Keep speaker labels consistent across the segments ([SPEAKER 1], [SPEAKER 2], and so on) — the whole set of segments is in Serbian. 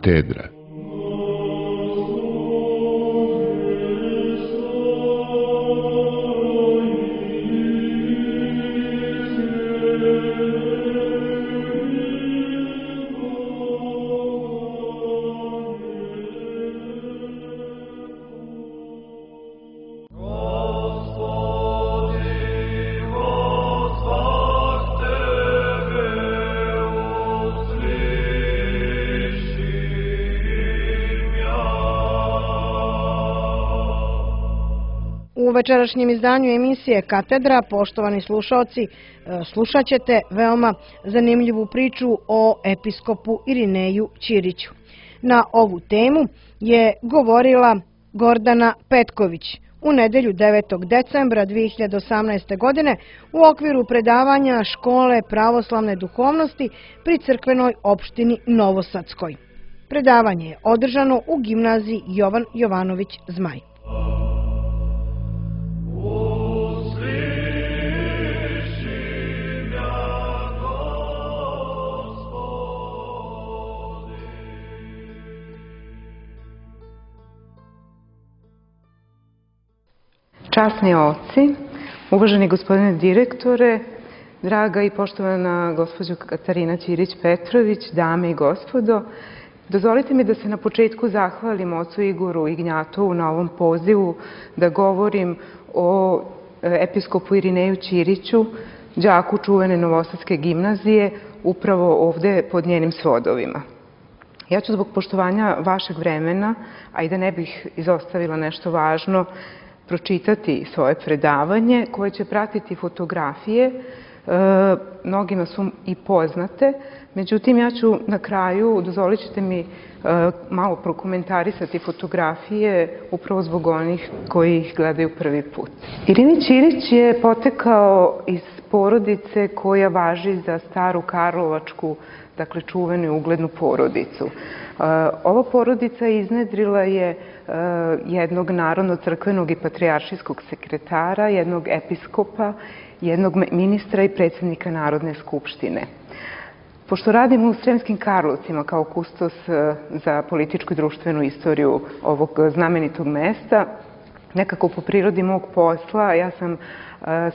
[SPEAKER 1] Katedra.
[SPEAKER 2] U večerašnjem izdanju emisije Katedra, poštovani slušaoci, slušat ćete veoma zanimljivu priču o episkopu Irineju Ćiriću. Na ovu temu je govorila Gordana Petković u nedelju 9. decembra 2018. godine u okviru predavanja Škole pravoslavne duhovnosti pri crkvenoj opštini Novosadskoj. Predavanje je održano u gimnaziji Jovan Jovanović Zmaj.
[SPEAKER 3] Časni oci, uvaženi gospodine direktore, draga i poštovana gospođo Katarina Ćirić-Petrović, dame i gospodo, dozvolite mi da se na početku zahvalim ocu Igoru Ignjatovu na ovom pozivu da govorim o episkopu Irineju Ćiriću, đaku čuvene Novosadske gimnazije, upravo ovde pod njenim svodovima. Ja ću zbog poštovanja vašeg vremena, a i da ne bih izostavila nešto važno, pročitati svoje predavanje koje će pratiti fotografije. Mnogima su i poznate, međutim ja ću na kraju, dozvolit ćete mi malo prokomentarisati fotografije upravo zbog onih koji ih gledaju prvi put. Irina Ćirić je potekao iz porodice koja važi za staru karlovačku, dakle čuvenu i uglednu porodicu. Ova porodica iznedrila je jednog narodno-crkvenog i patrijaršijskog sekretara, jednog episkopa, jednog ministra i predsjednika Narodne skupštine. Pošto radim u Sremskim Karlovcima kao kustos za političku i društvenu istoriju ovog znamenitog mesta, nekako po prirodi mog posla ja sam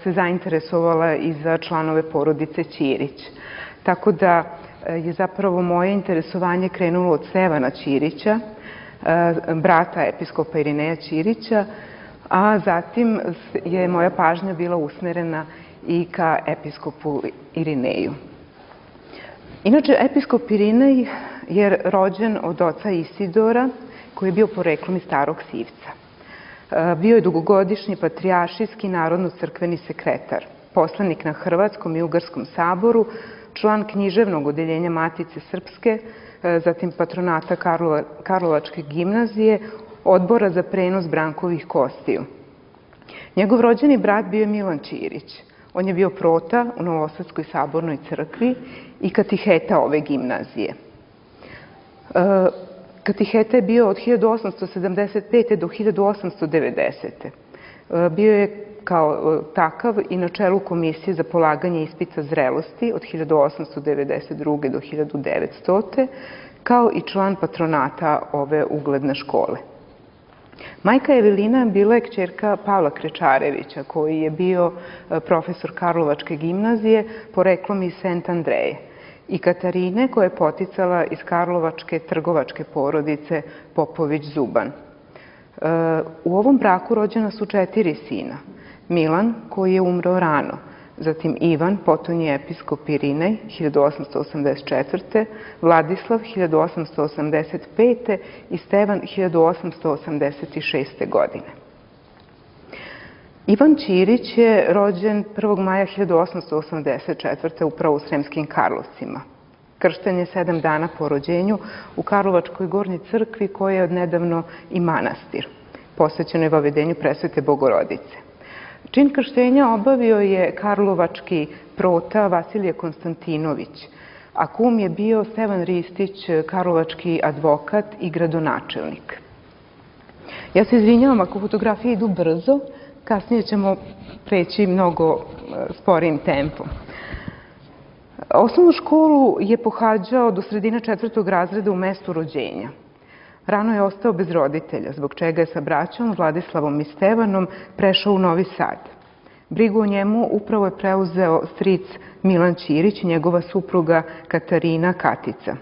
[SPEAKER 3] se zainteresovala i za članove porodice Ćirić. Tako da je zapravo moje interesovanje krenulo od Stevana Ćirića, brata episkopa Irineja Ćirića, a zatim je moja pažnja bila usmerena i ka episkopu Irineju. Inače, episkop Irinej je rođen od oca Isidora, koji je bio poreklom iz Starog Sivca. Bio je dugogodišnji patrijaršijski narodno-crkveni sekretar, poslanik na Hrvatskom i Ugarskom saboru, član književnog odeljenja Matice Srpske, zatim patronata Karlovačke gimnazije, odbora za prenos Brankovih kostiju. Njegov rođeni brat bio je Milan Ćirić. On je bio prota u Novosadskoj sabornoj crkvi i katiheta ove gimnazije. Katiheta je bio od 1875. do 1890. Bio je kao takav i na čelu Komisije za polaganje ispita zrelosti od 1892. do 1900. kao i član patronata ove ugledne škole. Majka Evelina bila je kćerka Pavla Krečarevića, koji je bio profesor Karlovačke gimnazije, poreklom iz Sent Andreje, i Katarine, koja je poticala iz karlovačke trgovačke porodice Popović-Zuban. U ovom braku rođena su 4 sina. Milan, koji je umro rano, zatim Ivan, potonji episkop Irinej, 1884. Vladislav, 1885. i Stevan, 1886. godine. Ivan Ćirić je rođen 1. maja 1884. upravo u Sremskim Karlovcima. Kršten je 7 dana po rođenju u Karlovačkoj gornjoj crkvi, koja je odnedavno i manastir, posvećenoj vavedenju Presvete Bogorodice. Čin krštenja obavio je karlovački prota Vasilije Konstantinović, a kum je bio Stevan Ristić, karlovački advokat i gradonačelnik. Ja se izvinjavam ako fotografije idu brzo, kasnije ćemo preći mnogo sporijim tempom. Osnovnu školu je pohađao do sredine 4. razreda u mestu rođenja. Rano je ostao bez roditelja, zbog čega je sa braćom Vladislavom i Stevanom prešao u Novi Sad. Brigu o njemu upravo je preuzeo stric Milan Ćirić i njegova supruga Katarina Katica.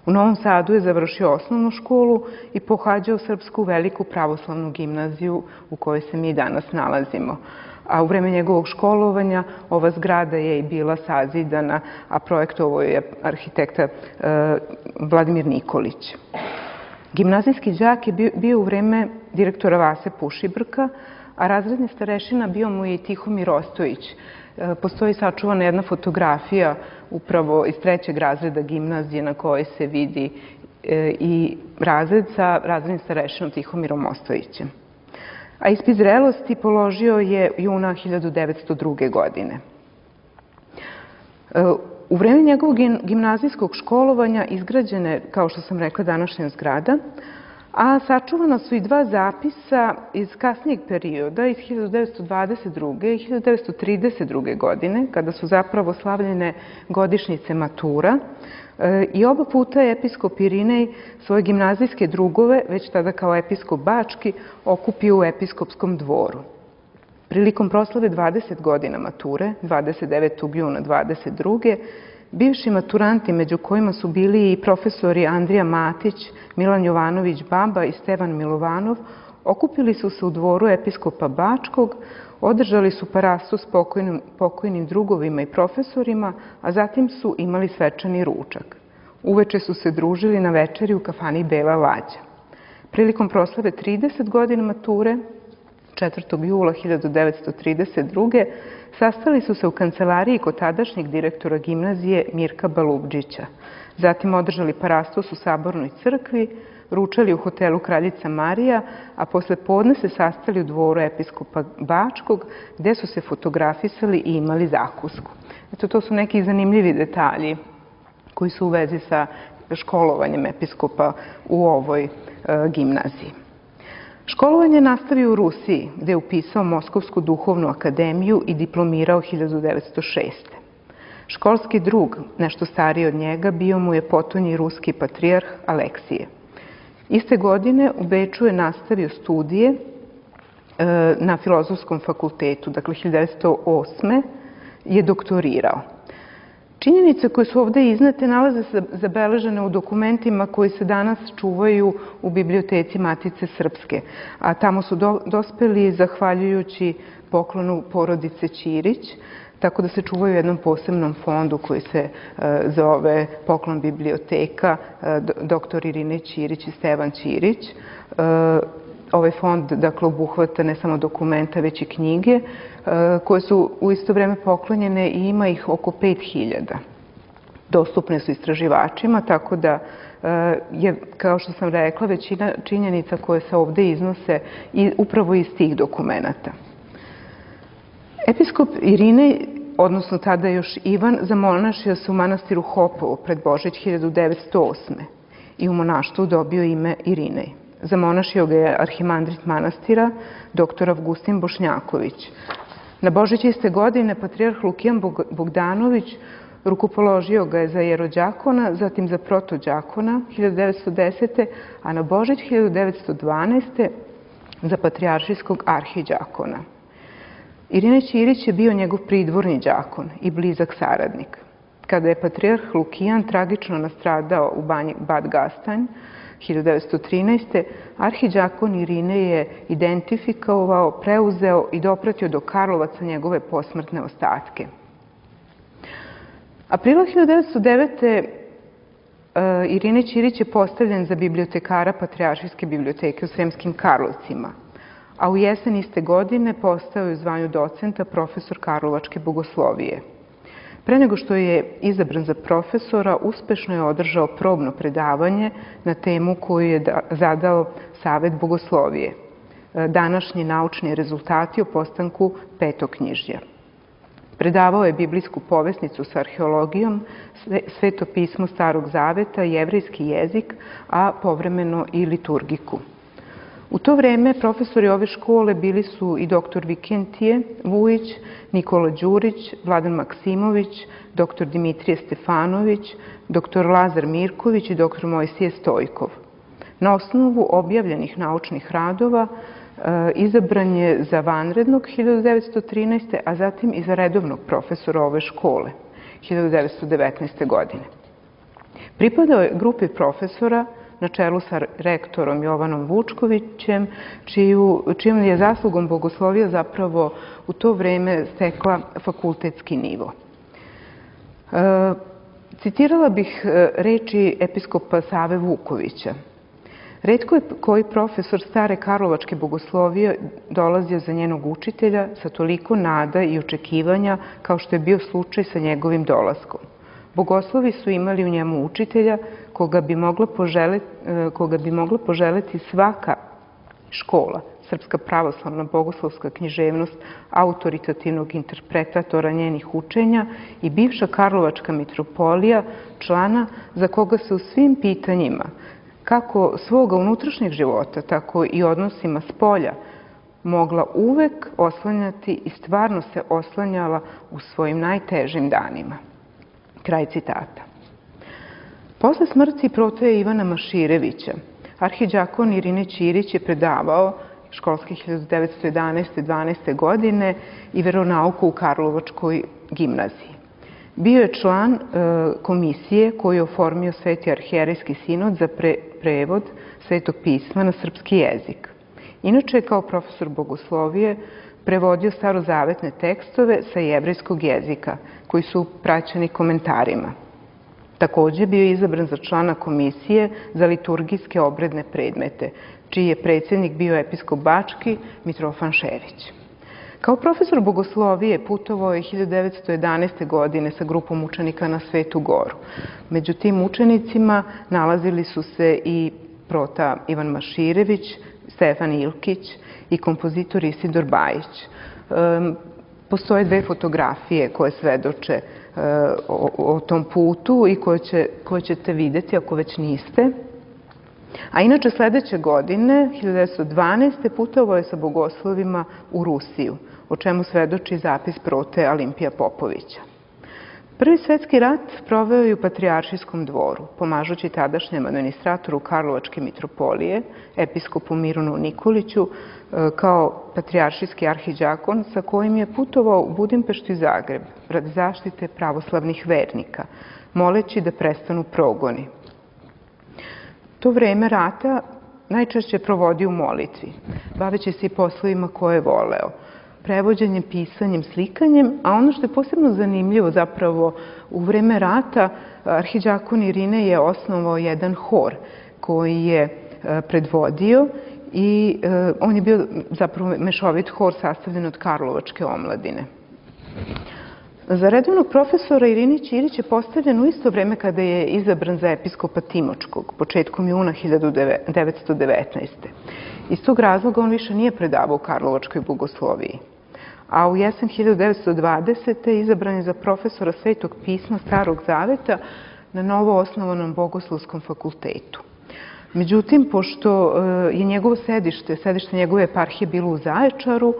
[SPEAKER 3] U Novom Sadu je završio osnovnu školu i pohađao Srpsku veliku pravoslavnu gimnaziju u kojoj se mi danas nalazimo. A u vreme njegovog školovanja ova zgrada je i bila sazidana, a projektovao je arhitekta Vladimir Nikolić. Gimnazijski đak je bio u vreme direktora Vase Pušibrka, a razredni starešina bio mu je i Tihomir Ostojić. Postoji sačuvana jedna fotografija upravo iz 3. razreda gimnazije na kojoj se vidi i razred sa razrednim starešinom Tihomirom Ostojićem. A ispit zrelosti položio je juna 1902. godine. U vreme njegovog gimnazijskog školovanja izgrađena je, kao što sam rekla, današnja zgrada, a sačuvana su i 2 zapisa iz kasnijeg perioda, iz 1922. i 1932. godine, kada su zapravo slavljene godišnjice matura. I oba puta je episkop Irinej svoje gimnazijske drugove, već tada kao episkop Bački, okupio u episkopskom dvoru. Prilikom proslave 20 godina mature, 29. juna 22. bivši maturanti, među kojima su bili i profesori Andrija Matić, Milan Jovanović Baba i Stevan Milovanov, okupili su se u dvoru episkopa Bačkog, održali su parastu s pokojnim drugovima i profesorima, a zatim su imali svečani ručak. Uveče su se družili na večeri u kafani Bela Lađa. Prilikom proslave 30 godina mature, 4. jula 1932. sastali su se u kancelariji kod tadašnjeg direktora gimnazije Mirka Balubdžića. Zatim održali parastos u Sabornoj crkvi, ručali u hotelu Kraljica Marija, a posle podne se sastali u dvoru episkopa Bačkog, gde su se fotografisali i imali zakusku. Eto, to su neki zanimljivi detalji koji su u vezi sa školovanjem episkopa u ovoj gimnaziji. Školovanje je nastavio u Rusiji, gde je upisao Moskovsku duhovnu akademiju i diplomirao 1906. Školski drug, nešto stariji od njega, bio mu je potonji ruski patrijarh Aleksije. Iste godine u Beču je nastavio studije na Filozofskom fakultetu, dakle 1908. je doktorirao. Činjenice koje su ovde iznete nalaze se zabeležene u dokumentima koji se danas čuvaju u biblioteci Matice Srpske, a tamo su dospeli zahvaljujući poklonu porodice Ćirić, tako da se čuvaju u jednom posebnom fondu koji se zove Poklon biblioteka, dr. Irine Ćirić i Stevan Ćirić. Ovaj fond, dakle, obuhvata ne samo dokumenta, već i knjige, koje su u isto vreme poklonjene i ima ih oko 5000. Dostupne su istraživačima, tako da je, kao što sam rekla, većina činjenica koje se ovde iznose upravo iz tih dokumenta. Episkop Irinej, odnosno tada još Ivan, zamonašio se u manastiru Hopovo pred Božić 1908. i u monaštvu dobio ime Irinej. Zamonašio ga je arhimandrit manastira, dr. Avgustin Bošnjaković. Na Božić iste godine patrijarh Lukijan Bogdanović rukopoložio ga je za jerođakona, zatim za protođakona 1910. a na Božić 1912. za patrijaršijskog arhiđakona. Irinej Ćirić je bio njegov pridvorni đakon i blizak saradnik. Kada je patrijarh Lukijan tragično nastradao u banji Bad Gastein 1913. arhiđakon Irinej je identifikovao, preuzeo i dopratio do Karlovaca njegove posmrtne ostatke. Aprila 1909. Irinej Ćirić je postavljen za bibliotekara Patrijaršijske biblioteke u Sremskim Karlovcima, a u jesen iste godine postao je u zvanju docenta profesor Karlovačke bogoslovije. Pre nego što je izabran za profesora, uspešno je održao probno predavanje na temu koju je zadao Savet bogoslovije. Današnji naučni rezultati o postanku petoknjižja. Predavao je biblijsku povesnicu sa arheologijom, sveto pismo Starog zaveta, jevrejski jezik, a povremeno i liturgiku. U to vreme profesori ove škole bili su i dr. Vikentije Vujić, Nikola Đurić, Vladan Maksimović, dr. Dimitrije Stefanović, dr. Lazar Mirković i dr. Mojsije Stojkov. Na osnovu objavljenih naučnih radova izabran je za vanrednog 1913. a zatim i za redovnog profesora ove škole 1919. godine. Pripadao je grupi profesora na čelu sa rektorom Jovanom Vučkovićem, čijom je zaslugom bogoslovija zapravo u to vreme stekla fakultetski nivo. Citirala bih reči episkopa Save Vukovića. Retko je koji profesor stare karlovačke bogoslovije dolazio za njenog učitelja sa toliko nada i očekivanja kao što je bio slučaj sa njegovim dolaskom. Bogoslovi su imali u njemu učitelja koga bi mogla poželeti svaka škola, Srpska pravoslavna bogoslovska književnost, autoritativnog interpretatora njenih učenja i bivša Karlovačka mitropolija, člana za koga se u svim pitanjima, kako svoga unutrašnjeg života, tako i odnosima spolja, mogla uvek oslanjati i stvarno se oslanjala u svojim najtežim danima. Kraj citata. Posle smrti protoje Ivana Maširevića, arhidžakon Irine Ćirić je predavao školske 1911-12. godine i veronauku u Karlovačkoj gimnaziji. Bio je član komisije koju je oformio Sveti arhijerejski sinod za prevod Svetog pisma na srpski jezik. Inače je kao profesor bogoslovije prevodio starozavetne tekstove sa jevrejskog jezika, koji su praćeni komentarima. Takođe bio je izabran za člana komisije za liturgijske obredne predmete, čiji je predsjednik bio episkop Bački Mitrofan Šerić. Kao profesor bogoslovije putovao je 1911. godine sa grupom učenika na Svetu Goru. Među tim učenicima nalazili su se i prota Ivan Maširević, Stefan Ilkić i kompozitor Isidor Bajić. Postoje dve fotografije koje svedoče o tom putu i koje ćete vidjeti ako već niste. A inače sledeće godine, 1912. putovao je sa bogoslovima u Rusiju, o čemu svedoči zapis prote Alimpija Popovića. Prvi svetski rat proveo je u Patrijaršijskom dvoru, pomažući tadašnjem administratoru Karlovačke mitropolije, episkopu Mirunu Nikoliću, kao patrijaršijski arhidžakon sa kojim je putovao u Budimpeštu i Zagreb radi zaštite pravoslavnih vernika, moleći da prestanu progoni. To vreme rata najčešće provodio u molitvi, baveći se i poslovima koje je voleo, prevođenjem, pisanjem, slikanjem, a ono što je posebno zanimljivo zapravo u vreme rata, arhidžakon Irine je osnovao jedan hor koji je predvodio i on je bio zapravo mešovit hor sastavljen od Karlovačke omladine. Za redovnog profesora Irini Ćirić je postavljen u isto vreme kada je izabran za episkopa Timočkog, početkom juna 1919. Iz tog razloga on više nije predavao u Karlovačkoj bogosloviji. A u jesen 1920. izabran je za profesora Svetog pisma Starog zaveta na novo osnovanom Bogoslovskom fakultetu. Međutim, pošto je njegovo sedište njegove eparhije bilo u Zaječaru,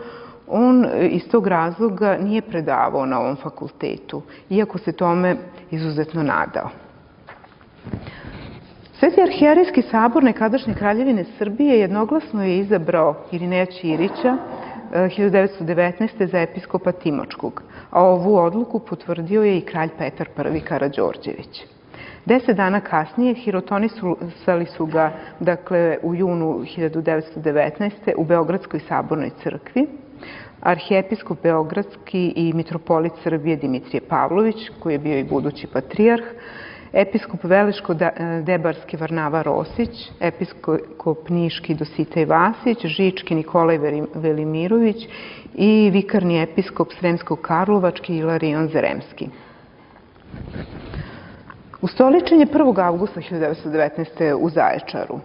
[SPEAKER 3] on iz tog razloga nije predavao na ovom fakultetu, iako se tome izuzetno nadao. Sveti arhijerejski sabor nekadašnje Kraljevine Srbije jednoglasno je izabrao Irineja Ćirića 1919. za episkopa Timočkog, a ovu odluku potvrdio je i kralj Petar I. Karađorđević. 10 dana kasnije hirotonisali su ga, dakle, u junu 1919. u Beogradskoj sabornoj crkvi, arhijepiskop Beogradski i mitropolit Srbije Dimitrije Pavlović, koji je bio i budući patrijarh, episkop Veleško-Debarski Varnava Rosić, episkop Niški Dositej Vasić, Žički Nikolaj Velimirović i vikarni episkop Sremsko-Karlovački Ilarion Zeremski. Ustoličen je 1. avgusta 1919. u Zaječaru.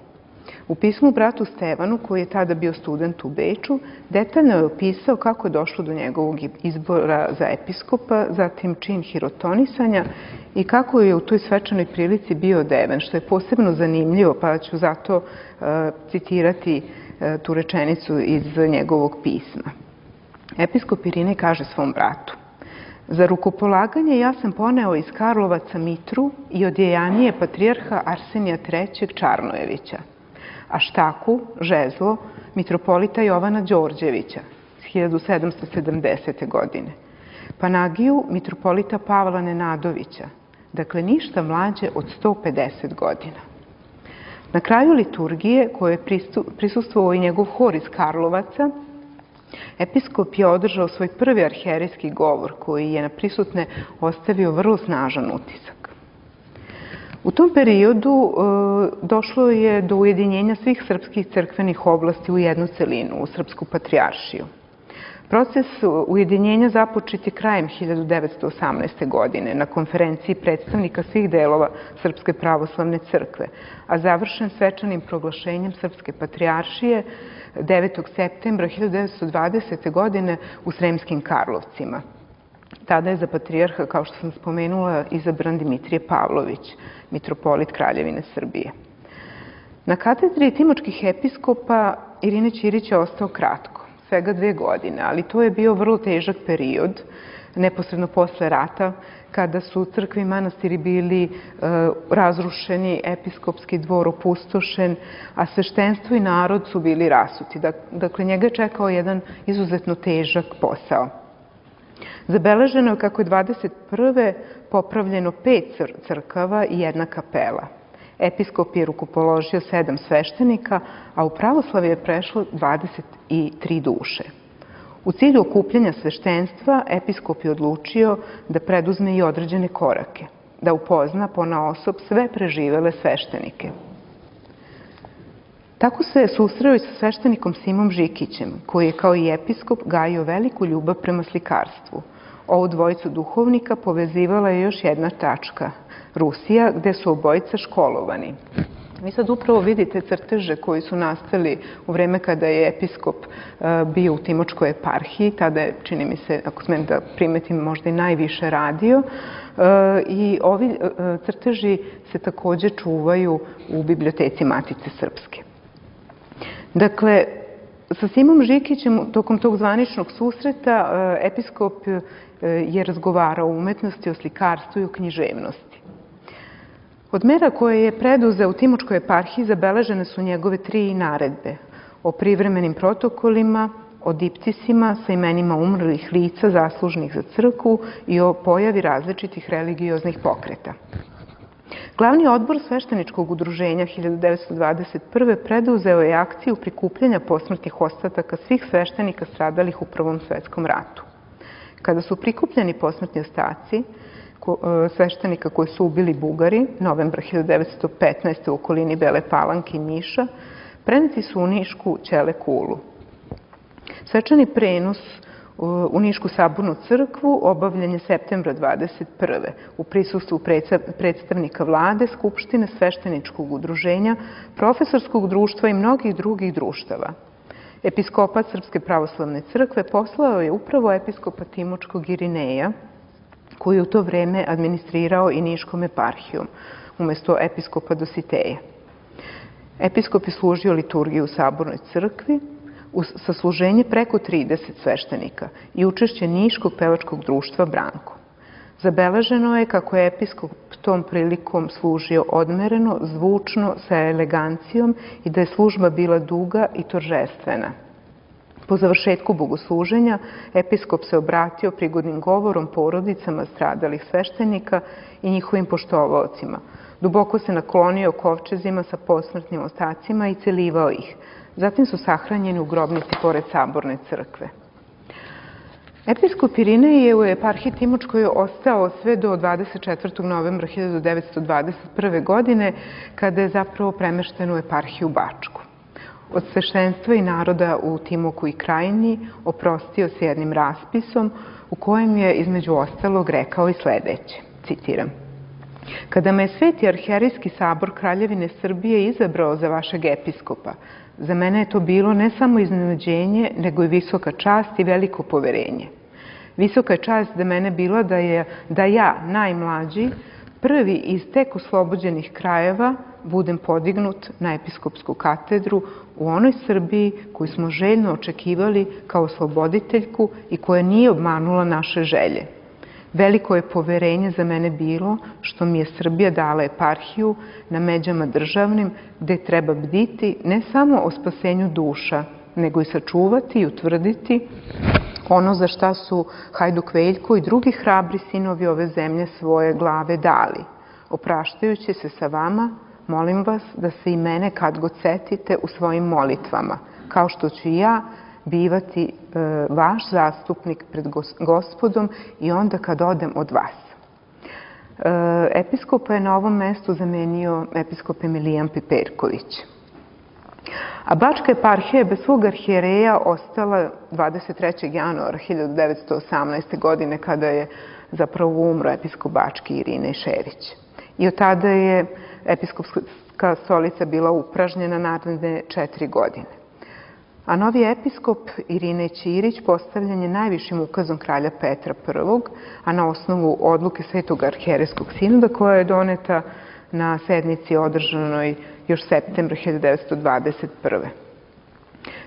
[SPEAKER 3] U pismu bratu Stevanu, koji je tada bio student u Beču, detaljno je opisao kako je došlo do njegovog izbora za episkopa, zatim čin hirotonisanja i kako je u toj svečanoj prilici bio odeven, što je posebno zanimljivo, pa ću zato citirati tu rečenicu iz njegovog pisma. Episkop Irinej kaže svom bratu: za rukopolaganje ja sam poneo iz Karlovaca mitru i odjejanije patrijarha Arsenija III. Čarnojevića, a štaku, žezlo, mitropolita Jovana Đorđevića s 1770. godine, panagiju mitropolita Pavla Nenadovića, dakle ništa mlađe od 150 godina. Na kraju liturgije, koje je prisustvovao i njegov hor iz Karlovaca, episkop je održao svoj prvi arhijerejski govor, koji je na prisutne ostavio vrlo snažan utisak. U tom periodu došlo je do ujedinjenja svih srpskih crkvenih oblasti u jednu celinu, u Srpsku patrijaršiju. Proces ujedinjenja započet je krajem 1918. godine na konferenciji predstavnika svih delova Srpske pravoslavne crkve, a završen svečanim proglašenjem Srpske patrijaršije 9. septembra 1920. godine u Sremskim Karlovcima. Tada je za patrijarha, kao što sam spomenula, izabran Dimitrije Pavlović, mitropolit Kraljevine Srbije. Na katedri timočkih episkopa Irinej Ćirić je ostao kratko, svega 2 godine, ali to je bio vrlo težak period, neposredno posle rata, kada su crkve i manastiri bili razrušeni, episkopski dvor opustošen, a sveštenstvo i narod su bili rasuti. Dakle, njega je čekao jedan izuzetno težak posao. Zabeleženo je kako je 21. popravljeno 5 crkava i 1 kapela. Episkop je rukopoložio 7 sveštenika, a u pravoslavlje je prešlo 23 duše. U cilju okupljanja sveštenstva, episkop je odlučio da preduzme i određene korake, da upozna ponaosob sve preživele sveštenike. Tako se susreo i sa sveštenikom Simom Žikićem, koji je kao i episkop gajio veliku ljubav prema slikarstvu. Ovu dvojicu duhovnika povezivala je još jedna tačka, Rusija, gde su obojica školovani. Vi sad upravo vidite crteže koji su nastali u vreme kada je episkop bio u Timočkoj eparhiji, tada je, čini mi se, ako smem da primetim, možda i najviše radio, i ovi crteži se takođe čuvaju u biblioteci Matice Srpske. Dakle, sa Simom Žikićem tokom tog zvaničnog susreta episkop je razgovarao o umetnosti, o slikarstvu i o književnosti. Od mera koje je preduzeo u Timočkoj eparhiji zabeležene su njegove 3 naredbe o privremenim protokolima, o diptisima sa imenima umrlih lica zaslužnih za crkvu i o pojavi različitih religioznih pokreta. Glavni odbor svešteničkog udruženja 1921. preduzeo je akciju prikupljanja posmrtnih ostataka svih sveštenika stradalih u Prvom svetskom ratu. Kada su prikupljeni posmrtni ostaci sveštenika koji su ubili Bugari, novembra 1915. u okolini Bele Palanke i Niša, preneti su u Nišku Ćele kulu. Svečani prenos u Nišku sabornu crkvu obavljen je septembra 1921. u prisustvu predstavnika vlade, Skupštine, svešteničkog udruženja, profesorskog društva i mnogih drugih društava. Episkopat Srpske pravoslavne crkve poslao je upravo episkopa Timočkog Irineja, koji je u to vreme administrirao i Niškom eparhijom, umesto episkopa Dositeja. Episkop je služio liturgiju u sabornoj crkvi, uz sasluženje preko 30 sveštenika i učešće Niškog pevačkog društva Branko. Zabeleženo je kako je episkop tom prilikom služio odmereno, zvučno, sa elegancijom i da je služba bila duga i toržestvena. Po završetku bogosluženja, episkop se obratio prigodnim govorom porodicama stradalih sveštenika i njihovim poštovaocima. Duboko se naklonio kovčezima sa posmrtnim ostacima i celivao ih. Zatim su sahranjeni u grobnici pored saborne crkve. Episkop Irinej je u eparhiji Timočkoj ostao sve do 24. novembra 1921. godine, kada je zapravo premešten u eparhiju Bačku. Od sveštenstva i naroda u Timoku i Krajini oprostio se jednim raspisom u kojem je između ostalog rekao i sledeće, citiram: "Kada me je Sveti arhijerejski sabor Kraljevine Srbije izabrao za vašeg episkopa, za mene je to bilo ne samo iznenađenje, nego i visoka čast i veliko poverenje. Visoka je čast za mene bila da ja, najmlađi, prvi iz tek oslobođenih krajeva, budem podignut na episkopsku katedru u onoj Srbiji koju smo željno očekivali kao osloboditeljku i koja nije obmanula naše želje. Veliko je poverenje za mene bilo što mi je Srbija dala eparhiju na međama državnim gde treba bditi ne samo o spasenju duša, nego i sačuvati i utvrditi ono za šta su Hajduk Veljko i drugi hrabri sinovi ove zemlje svoje glave dali. Opraštajući se sa vama, molim vas da se i mene kad god setite u svojim molitvama, kao što ću i ja bivati vaš zastupnik pred Gospodom i onda kad odem od vas. Episkopa je na ovom mestu zamenio episkop Emilijan Piperković. A Bačka eparhija je bez svog arhijereja ostala 23. januara 1918. godine kada je zapravo umro episkop Bački Irinej Šerić. I od tada je episkopska stolica bila upražnjena naredne 4 godine. A novi episkop Irinej Ćirić postavljen je najvišim ukazom kralja Petra I, a na osnovu odluke Svetog arhijerejskog sinoda koja je doneta na sednici održanoj još septembra 1921.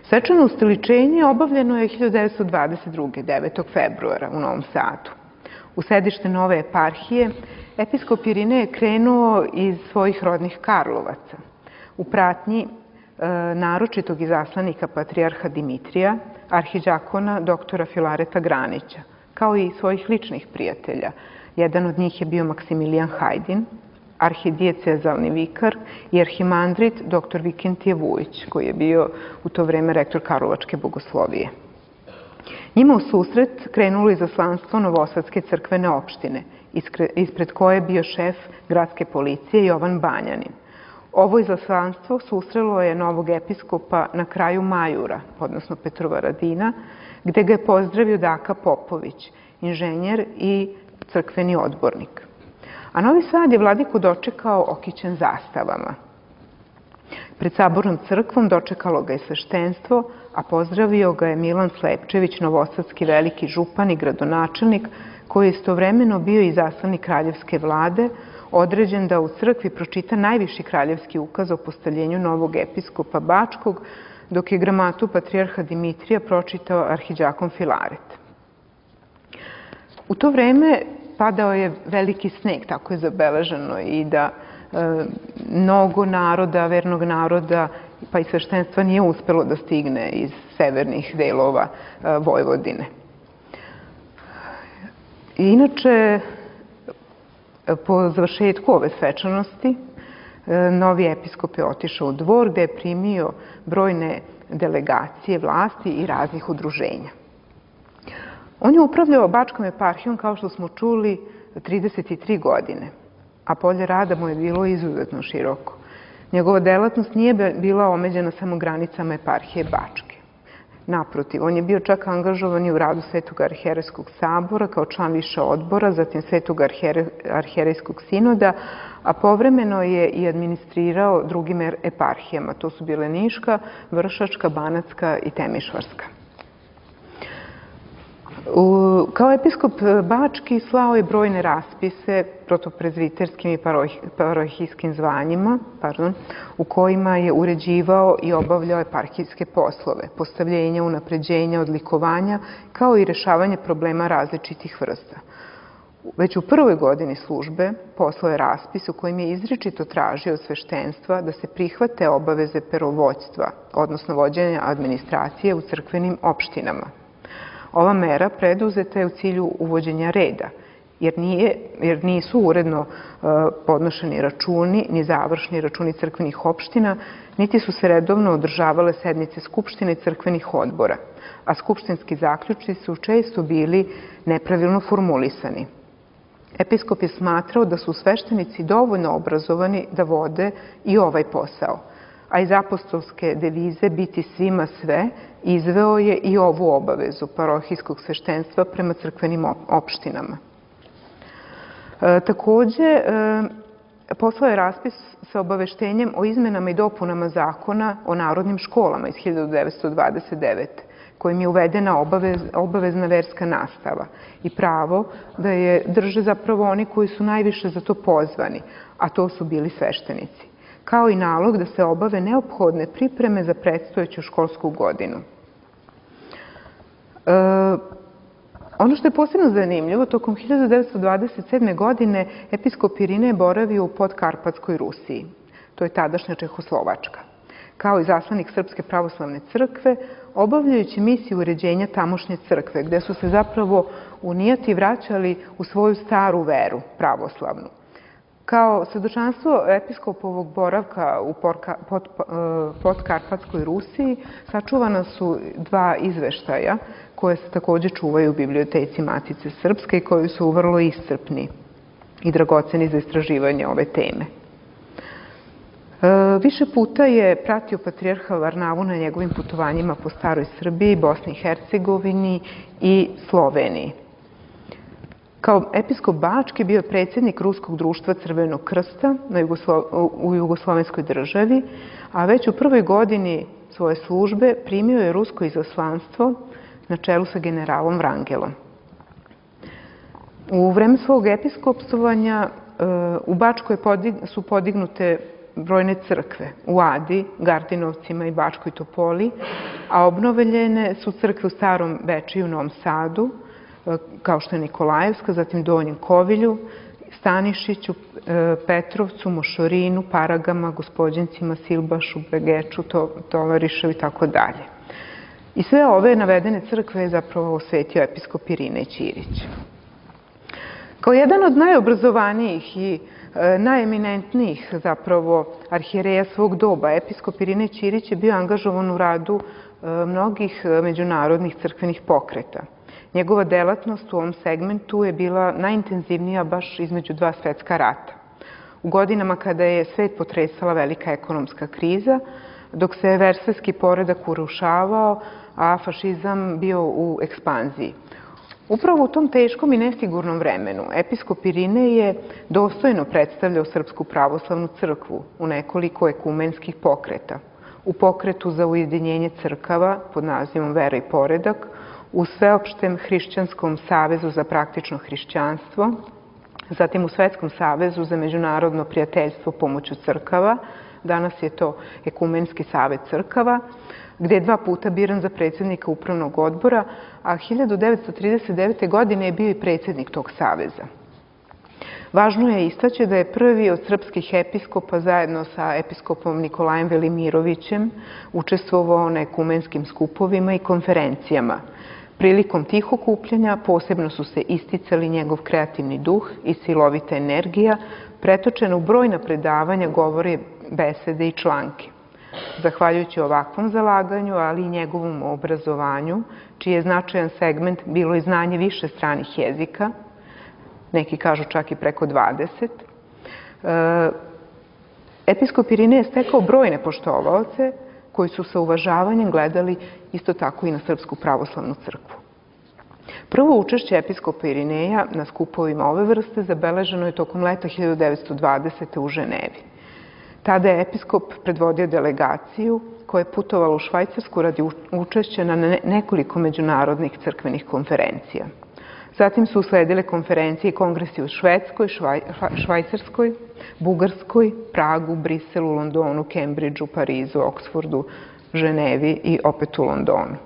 [SPEAKER 3] Svečano ustoličenje obavljeno je 1922. 9. februara u Novom Sadu. U sedište nove eparhije episkop Irinej je krenuo iz svojih rodnih Karlovaca u pratnji naročitog izaslanika patrijarha Dimitrija, arhidjakona doktora Filareta Granića, kao i svojih ličnih prijatelja. Jedan od njih je bio Maksimilijan Hajdin, arhidiecezalni vikar i arhimandrit dr. Vikentije Vujić, koji je bio u to vreme rektor Karlovačke bogoslovije. Njima u susret krenulo izaslanstvo Novosadske crkvene opštine, ispred koje je bio šef gradske policije Jovan Banjanin. Ovo izaslanstvo susrelo je novog episkopa na kraju Majura, odnosno Petrovaradina, gde ga je pozdravio Daka Popović, inženjer i crkveni odbornik. A Novi Sad je vladiku dočekao okićen zastavama. Pred sabornom crkvom dočekalo ga je sveštenstvo, a pozdravio ga je Milan Slepčević, novosadski veliki župan i gradonačelnik, koji je istovremeno bio i izaslanik kraljevske vlade, određen da u crkvi pročita najviši kraljevski ukaz o postavljenju novog episkopa Bačkog, dok je gramatu patrijarha Dimitrija pročitao arhidjakon Filaret. U to vreme padao je veliki sneg, tako je zabeleženo, i da mnogo naroda, vernog naroda, pa i sveštenstva nije uspelo da stigne iz severnih delova Vojvodine. Inače, po završetku ove svečanosti, novi episkop je otišao u dvor gde je primio brojne delegacije vlasti i raznih udruženja. On je upravljao Bačkom eparhijom, kao što smo čuli, 33 godine, a polje rada mu je bilo izuzetno široko. Njegova delatnost nije bila omeđena samo granicama eparhije Bačke. Naprotiv, on je bio čak angažovan i u radu Svetog arhijerejskog sabora kao član više odbora, zatim Svetog arhijerejskog sinoda, a povremeno je i administrirao drugim eparhijama. To su bile Niška, Vršačka, Banatska i Temišvarska. Kao episkop Bački slao je brojne raspise protoprezviterskim i parohijskim zvanjima, u kojima je uređivao i obavljao eparhijske poslove, postavljenja, unapređenja, odlikovanja, kao i rešavanje problema različitih vrsta. Već u prvoj godini službe poslao je raspis u kojim je izričito tražio od sveštenstva da se prihvate obaveze perovođstva, odnosno vođenja administracije u crkvenim opštinama. Ova mera preduzeta je u cilju uvođenja reda, jer nisu uredno podnošeni računi, ni završni računi crkvenih opština, niti su se redovno održavale sednice skupštine i crkvenih odbora, a skupštinski zaključci su često bili nepravilno formulisani. Episkop je smatrao da su sveštenici dovoljno obrazovani da vode i ovaj posao, a iz apostolske devize biti svima sve izveo je i ovu obavezu parohijskog sveštenstva prema crkvenim opštinama. Takođe, poslao je raspis sa obaveštenjem o izmenama i dopunama zakona o narodnim školama iz 1929. kojim je uvedena obavezna verska nastava i pravo da je drže zapravo oni koji su najviše za to pozvani, a to su bili sveštenici. kao i nalog da se obave neophodne pripreme za predstojeću školsku godinu. Ono što je posebno zanimljivo, tokom 1927. godine episkop Irinej boravio u Podkarpatskoj Rusiji, to je tadašnja Čehoslovačka, kao i zaslanik Srpske pravoslavne crkve, obavljajući misiju uređenja tamošnje crkve, gde su se zapravo unijati vraćali u svoju staru veru, pravoslavnu. Kao svedočanstvo episkopovog boravka u Podkarpatskoj Rusiji sačuvana su dva izveštaja koje se takođe čuvaju u biblioteci Matice Srpske i koji su vrlo iscrpni i dragoceni za istraživanje ove teme. Više puta je pratio patrijarha Varnavu na njegovim putovanjima po staroj Srbiji, Bosni i Hercegovini i Sloveniji. Kao episkop Bački bio je predsjednik Ruskog društva Crvenog krsta u Jugoslovenskoj državi, a već u prvoj godini svoje službe primio je rusko izaslanstvo na čelu sa generalom Vrangelom. U vreme svog episkopstvovanja u Bačkoj su podignute brojne crkve u Adi, Gardinovcima i Bačkoj Topoli, a obnovljene su crkve u Starom Bečeju, Novom Sadu, kao što je Nikolajevska, zatim Donjem Kovilju, Stanišiću, Petrovcu, Mošorinu, Paragama, Gospođincima, Silbašu, Begeču, Tovariševu i tako dalje. I sve ove navedene crkve je zapravo osvetio episkop Irinej Ćirić. Kao jedan od najobrazovanijih i najeminentnijih zapravo arhijereja svog doba, episkop Irinej Ćirić je bio angažovan u radu mnogih međunarodnih crkvenih pokreta. Njegova delatnost u ovom segmentu je bila najintenzivnija baš između dva svetska rata. U godinama kada je svet potresala velika ekonomska kriza, dok se versajski poredak urušavao, a fašizam bio u ekspanziji. Upravo u tom teškom i nesigurnom vremenu episkop Irinej je dostojno predstavljao Srpsku pravoslavnu crkvu u nekoliko ekumenskih pokreta. U pokretu za ujedinjenje crkava pod nazivom Vera i poredak, u Sveopštem hrišćanskom savezu za praktično hrišćanstvo, zatim u Svetskom savezu za međunarodno prijateljstvo pomoću crkava, danas je to Ekumenski savet crkava, gde je dva puta biran za predsjednika upravnog odbora, a 1939. godine je bio i predsjednik tog saveza. Važno je istaći da je prvi od srpskih episkopa zajedno sa episkopom Nikolajem Velimirovićem učestvovao na ekumenskim skupovima i konferencijama. Prilikom tih okupljanja posebno su se isticali njegov kreativni duh i silovita energija, pretočena u brojna predavanja, govore, besede i članke. Zahvaljujući ovakvom zalaganju, ali i njegovom obrazovanju, čiji je značajan segment bilo i znanje više stranih jezika, neki kažu čak i preko 20, episkop Irinej je stekao brojne poštovaoce koji su sa uvažavanjem gledali isto tako i na Srpsku pravoslavnu crkvu. Prvo učešće episkopa Irineja na skupovima ove vrste zabeleženo je tokom leta 1920. u Ženevi. Tada je episkop predvodio delegaciju koja je putovala u Švajcarsku radi učešća na nekoliko međunarodnih crkvenih konferencija. Zatim su usledile konferencije i kongresi u Švedskoj, Švajcarskoj, Bugarskoj, Pragu, Briselu, Londonu, Kembridžu, Parizu, Oksfordu, Ženevi i opet u Londonu.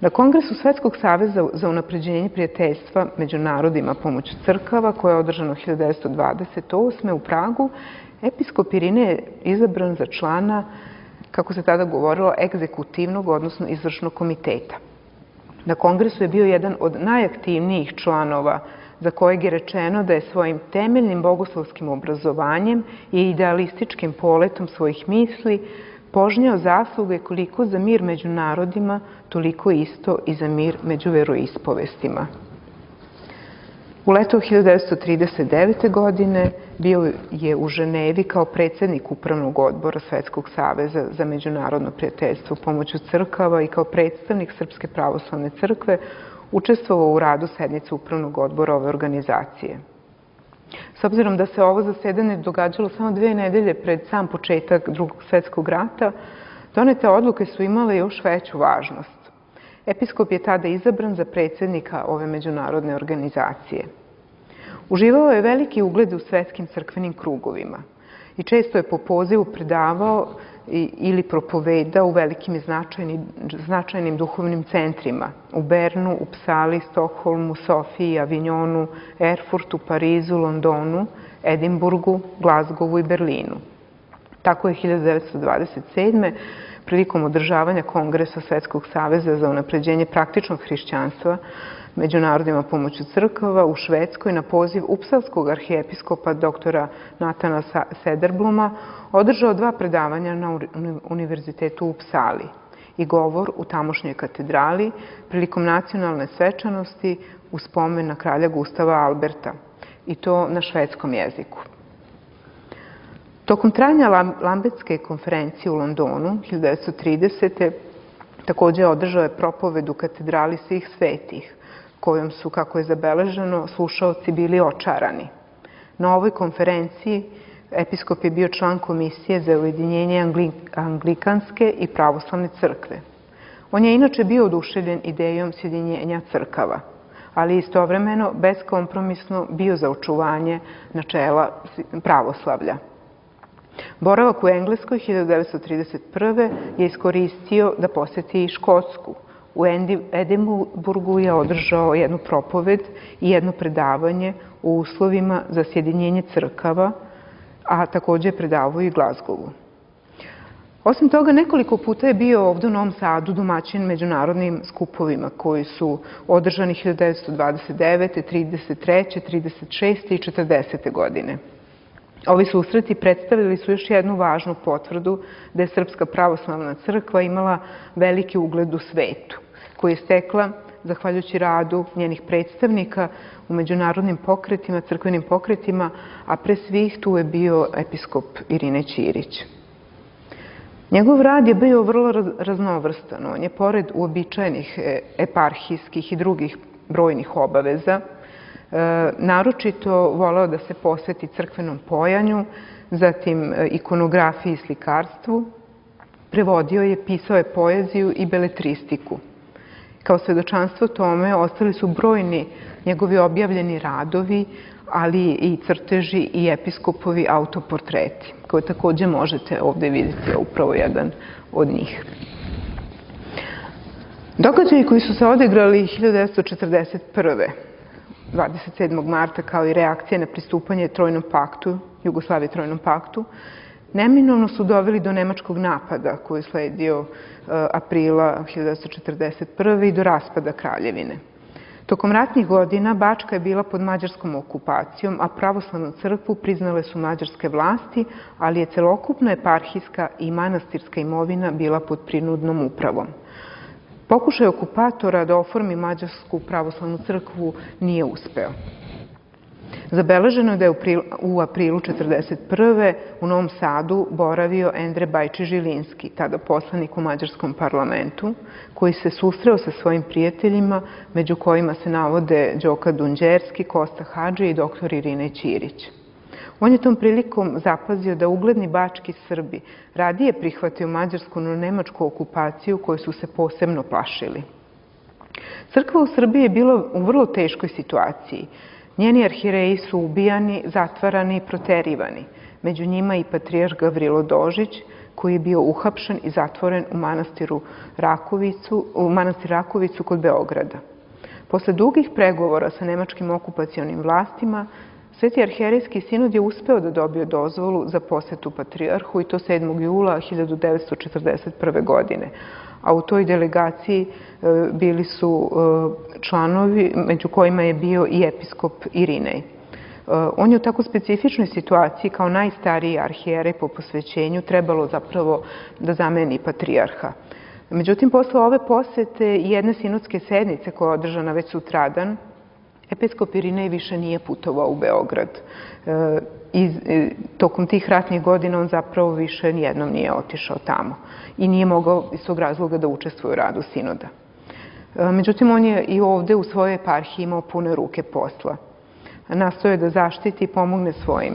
[SPEAKER 3] Na Kongresu Svetskog saveza za unapređenje prijateljstva među narodima pomoću crkava, koje je održano 1928. u Pragu, episkop Irinej je izabran za člana, kako se tada govorilo, egzekutivnog, odnosno izvršnog komiteta. Na kongresu je bio jedan od najaktivnijih članova za kojeg je rečeno da je svojim temeljnim bogoslovskim obrazovanjem i idealističkim poletom svojih misli požnjao zasluge koliko za mir među narodima, toliko isto i za mir među veroispovestima. U leto 1939. godine bio je u Ženevi kao predsjednik Upravnog odbora Svetskog saveza za međunarodno prijateljstvo pomoću crkava i kao predstavnik Srpske pravoslavne crkve učestvovao u radu sednice Upravnog odbora ove organizacije. S obzirom da se ovo zasedanje događalo samo 2 nedelje pred sam početak Drugog svjetskog rata, donete odluke su imale još veću važnost. Episkop je tada izabran za predsjednika ove međunarodne organizacije. Uživao je veliki ugled u svetskim crkvenim krugovima. i često je po pozivu predavao ili propovedao u velikim i značajnim duhovnim centrima u Bernu, Upsali, Stokholmu, Sofiji, Avignonu, Erfurtu, Parizu, Londonu, Edinburgu, Glazgovu i Berlinu. Tako je 1927. prilikom održavanja Kongresa Svetskog saveza za unapređenje praktičnog hrišćanstva među narodima pomoću crkava u Švedskoj na poziv upsalskog arhijepiskopa doktora Natana Sederbluma održao 2 predavanja na Univerzitetu u Upsali i govor u tamošnjoj katedrali prilikom nacionalne svečanosti u spomen na kralja Gustava Alberta, i to na švedskom jeziku. Tokom trajanja Lambetske konferencije u Londonu 1930. takođe održao je propoved u katedrali svih svetih, kojom su, kako je zabeleženo, slušaoci bili očarani. Na ovoj konferenciji episkop je bio član komisije za ujedinjenje Anglikanske i pravoslavne crkve. On je inače bio oduševljen idejom sjedinjenja crkava, ali istovremeno beskompromisno bio za očuvanje načela pravoslavlja. Boravak u Engleskoj 1931. je iskoristio da poseti i Škotsku. U Edinburgu je održao jednu propoved i jedno predavanje o uslovima za sjedinjenje crkava, a takođe je predavao i Glazgovu. Osim toga, nekoliko puta je bio ovde u Novom Sadu domaćin međunarodnim skupovima koji su održani 1929., 33., 36. i 40. godine. Ovi susreti predstavili su još jednu važnu potvrdu da je Srpska pravoslavna crkva imala veliki ugled u svetu, koji je stekla zahvaljujući radu njenih predstavnika u međunarodnim pokretima, crkvenim pokretima, a pre svih tu je bio episkop Irinej Ćirić. Njegov rad je bio vrlo raznovrstan. On je, pored uobičajenih eparhijskih i drugih brojnih obaveza, naročito voleo da se posveti crkvenom pojanju, zatim ikonografiji i slikarstvu. Prevodio je, pisao je poeziju i beletristiku. Kao svedočanstvo tome ostali su brojni njegovi objavljeni radovi, ali i crteži i episkopovi autoportreti, koje takođe možete ovde vidjeti, upravo jedan od njih. Događaji koji su se odigrali 1941. 27. marta kao i reakcija na pristupanje Trojnom paktu, Jugoslavije Trojnom paktu, neminovno su doveli do nemačkog napada koji je sledio aprila 1941. i do raspada Kraljevine. Tokom ratnih godina Bačka je bila pod mađarskom okupacijom, a pravoslavnu crkvu priznale su mađarske vlasti, ali je celokupna eparhijska i manastirska imovina bila pod prinudnom upravom. Pokušaj okupatora da oformi mađarsku pravoslavnu crkvu nije uspeo. Zabeleženo je da je u aprilu 1941. u Novom Sadu boravio Endre Bajči-Žilinski, tada poslanik u mađarskom parlamentu, koji se susreo sa svojim prijateljima, među kojima se navode Đoka Dunđerski, Kosta Hadži i dr. Irinej Ćirić. On je tom prilikom zapazio da ugledni bački Srbi radije prihvataju mađarsku no nemačku okupaciju koju su se posebno plašili. Crkva u Srbiji je bila u vrlo teškoj situaciji. Njeni arhijereji su ubijani, zatvarani i proterivani. Među njima i patrijarh Gavrilo Dožić, koji je bio uhapšen i zatvoren u manastir Rakovicu kod Beograda. Posle dugih pregovora sa nemačkim okupacionim vlastima, Sveti arhijerejski sinod je uspeo da dobije dozvolu za posetu patrijarhu, i to 7. jula 1941. godine. A u toj delegaciji bili su članovi, među kojima je bio i episkop Irinej. On je u tako specifičnoj situaciji, kao najstariji arhijerej po posvećenju, trebalo zapravo da zameni patrijarha. Međutim, posle ove posete i jedne sinodske sednice koja je održana već sutradan, episkop Irinej više nije putovao u Beograd. Tokom tih ratnih godina on zapravo više nijednom nije otišao tamo i nije mogao iz tog razloga da učestvuje u radu sinoda. Međutim, on je i ovde u svojoj eparhiji imao pune ruke posla. Nastoje da zaštiti i pomogne svojim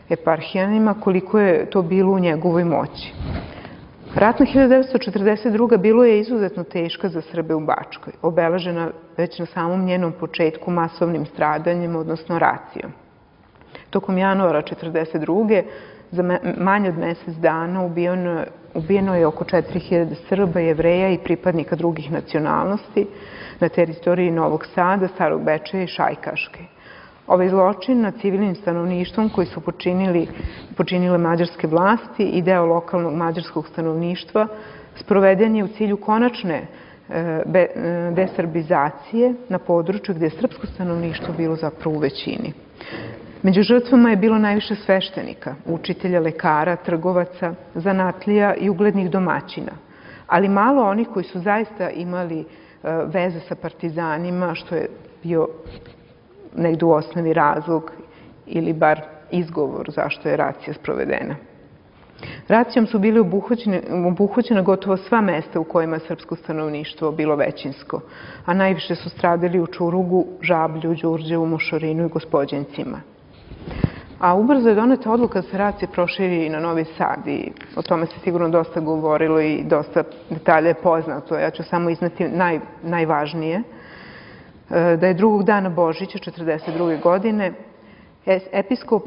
[SPEAKER 3] eparhijanima koliko je to bilo u njegovoj moći. Ratna 1942. bilo je izuzetno teška za Srbe u Bačkoj, obeležena već na samom njenom početku masovnim stradanjem, odnosno racijom. Tokom januara 1942. za manje od mesec dana ubijeno je oko 4000 Srba, Jevreja i pripadnika drugih nacionalnosti na teritoriji Novog Sada, Starog Bečeja i Šajkaške. Ovaj zločin nad civilnim stanovništvom koji su počinile mađarske vlasti i deo lokalnog mađarskog stanovništva sproveden je u cilju konačne desrbizacije na području gde je srpsko stanovništvo bilo zapravo u većini. Među žrtvama je bilo najviše sveštenika, učitelja, lekara, trgovaca, zanatlija i uglednih domaćina, ali malo onih koji su zaista imali veze sa partizanima, što je bio negde u osnovi razlog ili bar izgovor zašto je racija sprovedena. Racijom su bili obuhvaćena gotovo sva mesta u kojima je srpsko stanovništvo bilo većinsko, a najviše su stradali u Čurugu, Žablju, Đurđevu, Mošorinu i Gospođencima. A ubrzo je doneta odluka da se racija proširi i na Novi Sad i o tome se sigurno dosta govorilo i dosta detalja je poznato. Ja ću samo izneti najvažnije. Da je drugog dana Božića 1942. godine episkop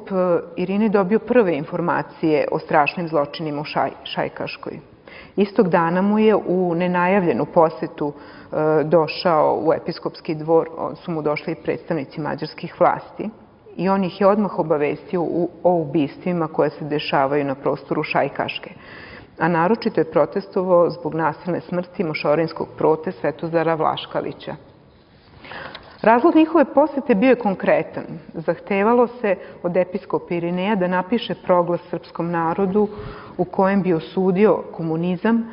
[SPEAKER 3] Irinej dobio prve informacije o strašnim zločinima u Šajkaškoj. Istog dana mu je u nenajavljenu posetu došao u episkopski dvor, su mu došli predstavnici mađarskih vlasti i on ih je odmah obavestio o ubistvima koje se dešavaju na prostoru Šajkaške. A naročito je protestovao zbog nasilne smrti mošorinskog prote Svetozara Vlaškalića. Razlog njihove posete bio je konkretan. Zahtevalo se od episkopa Irineja da napiše proglas srpskom narodu u kojem bi osudio komunizam,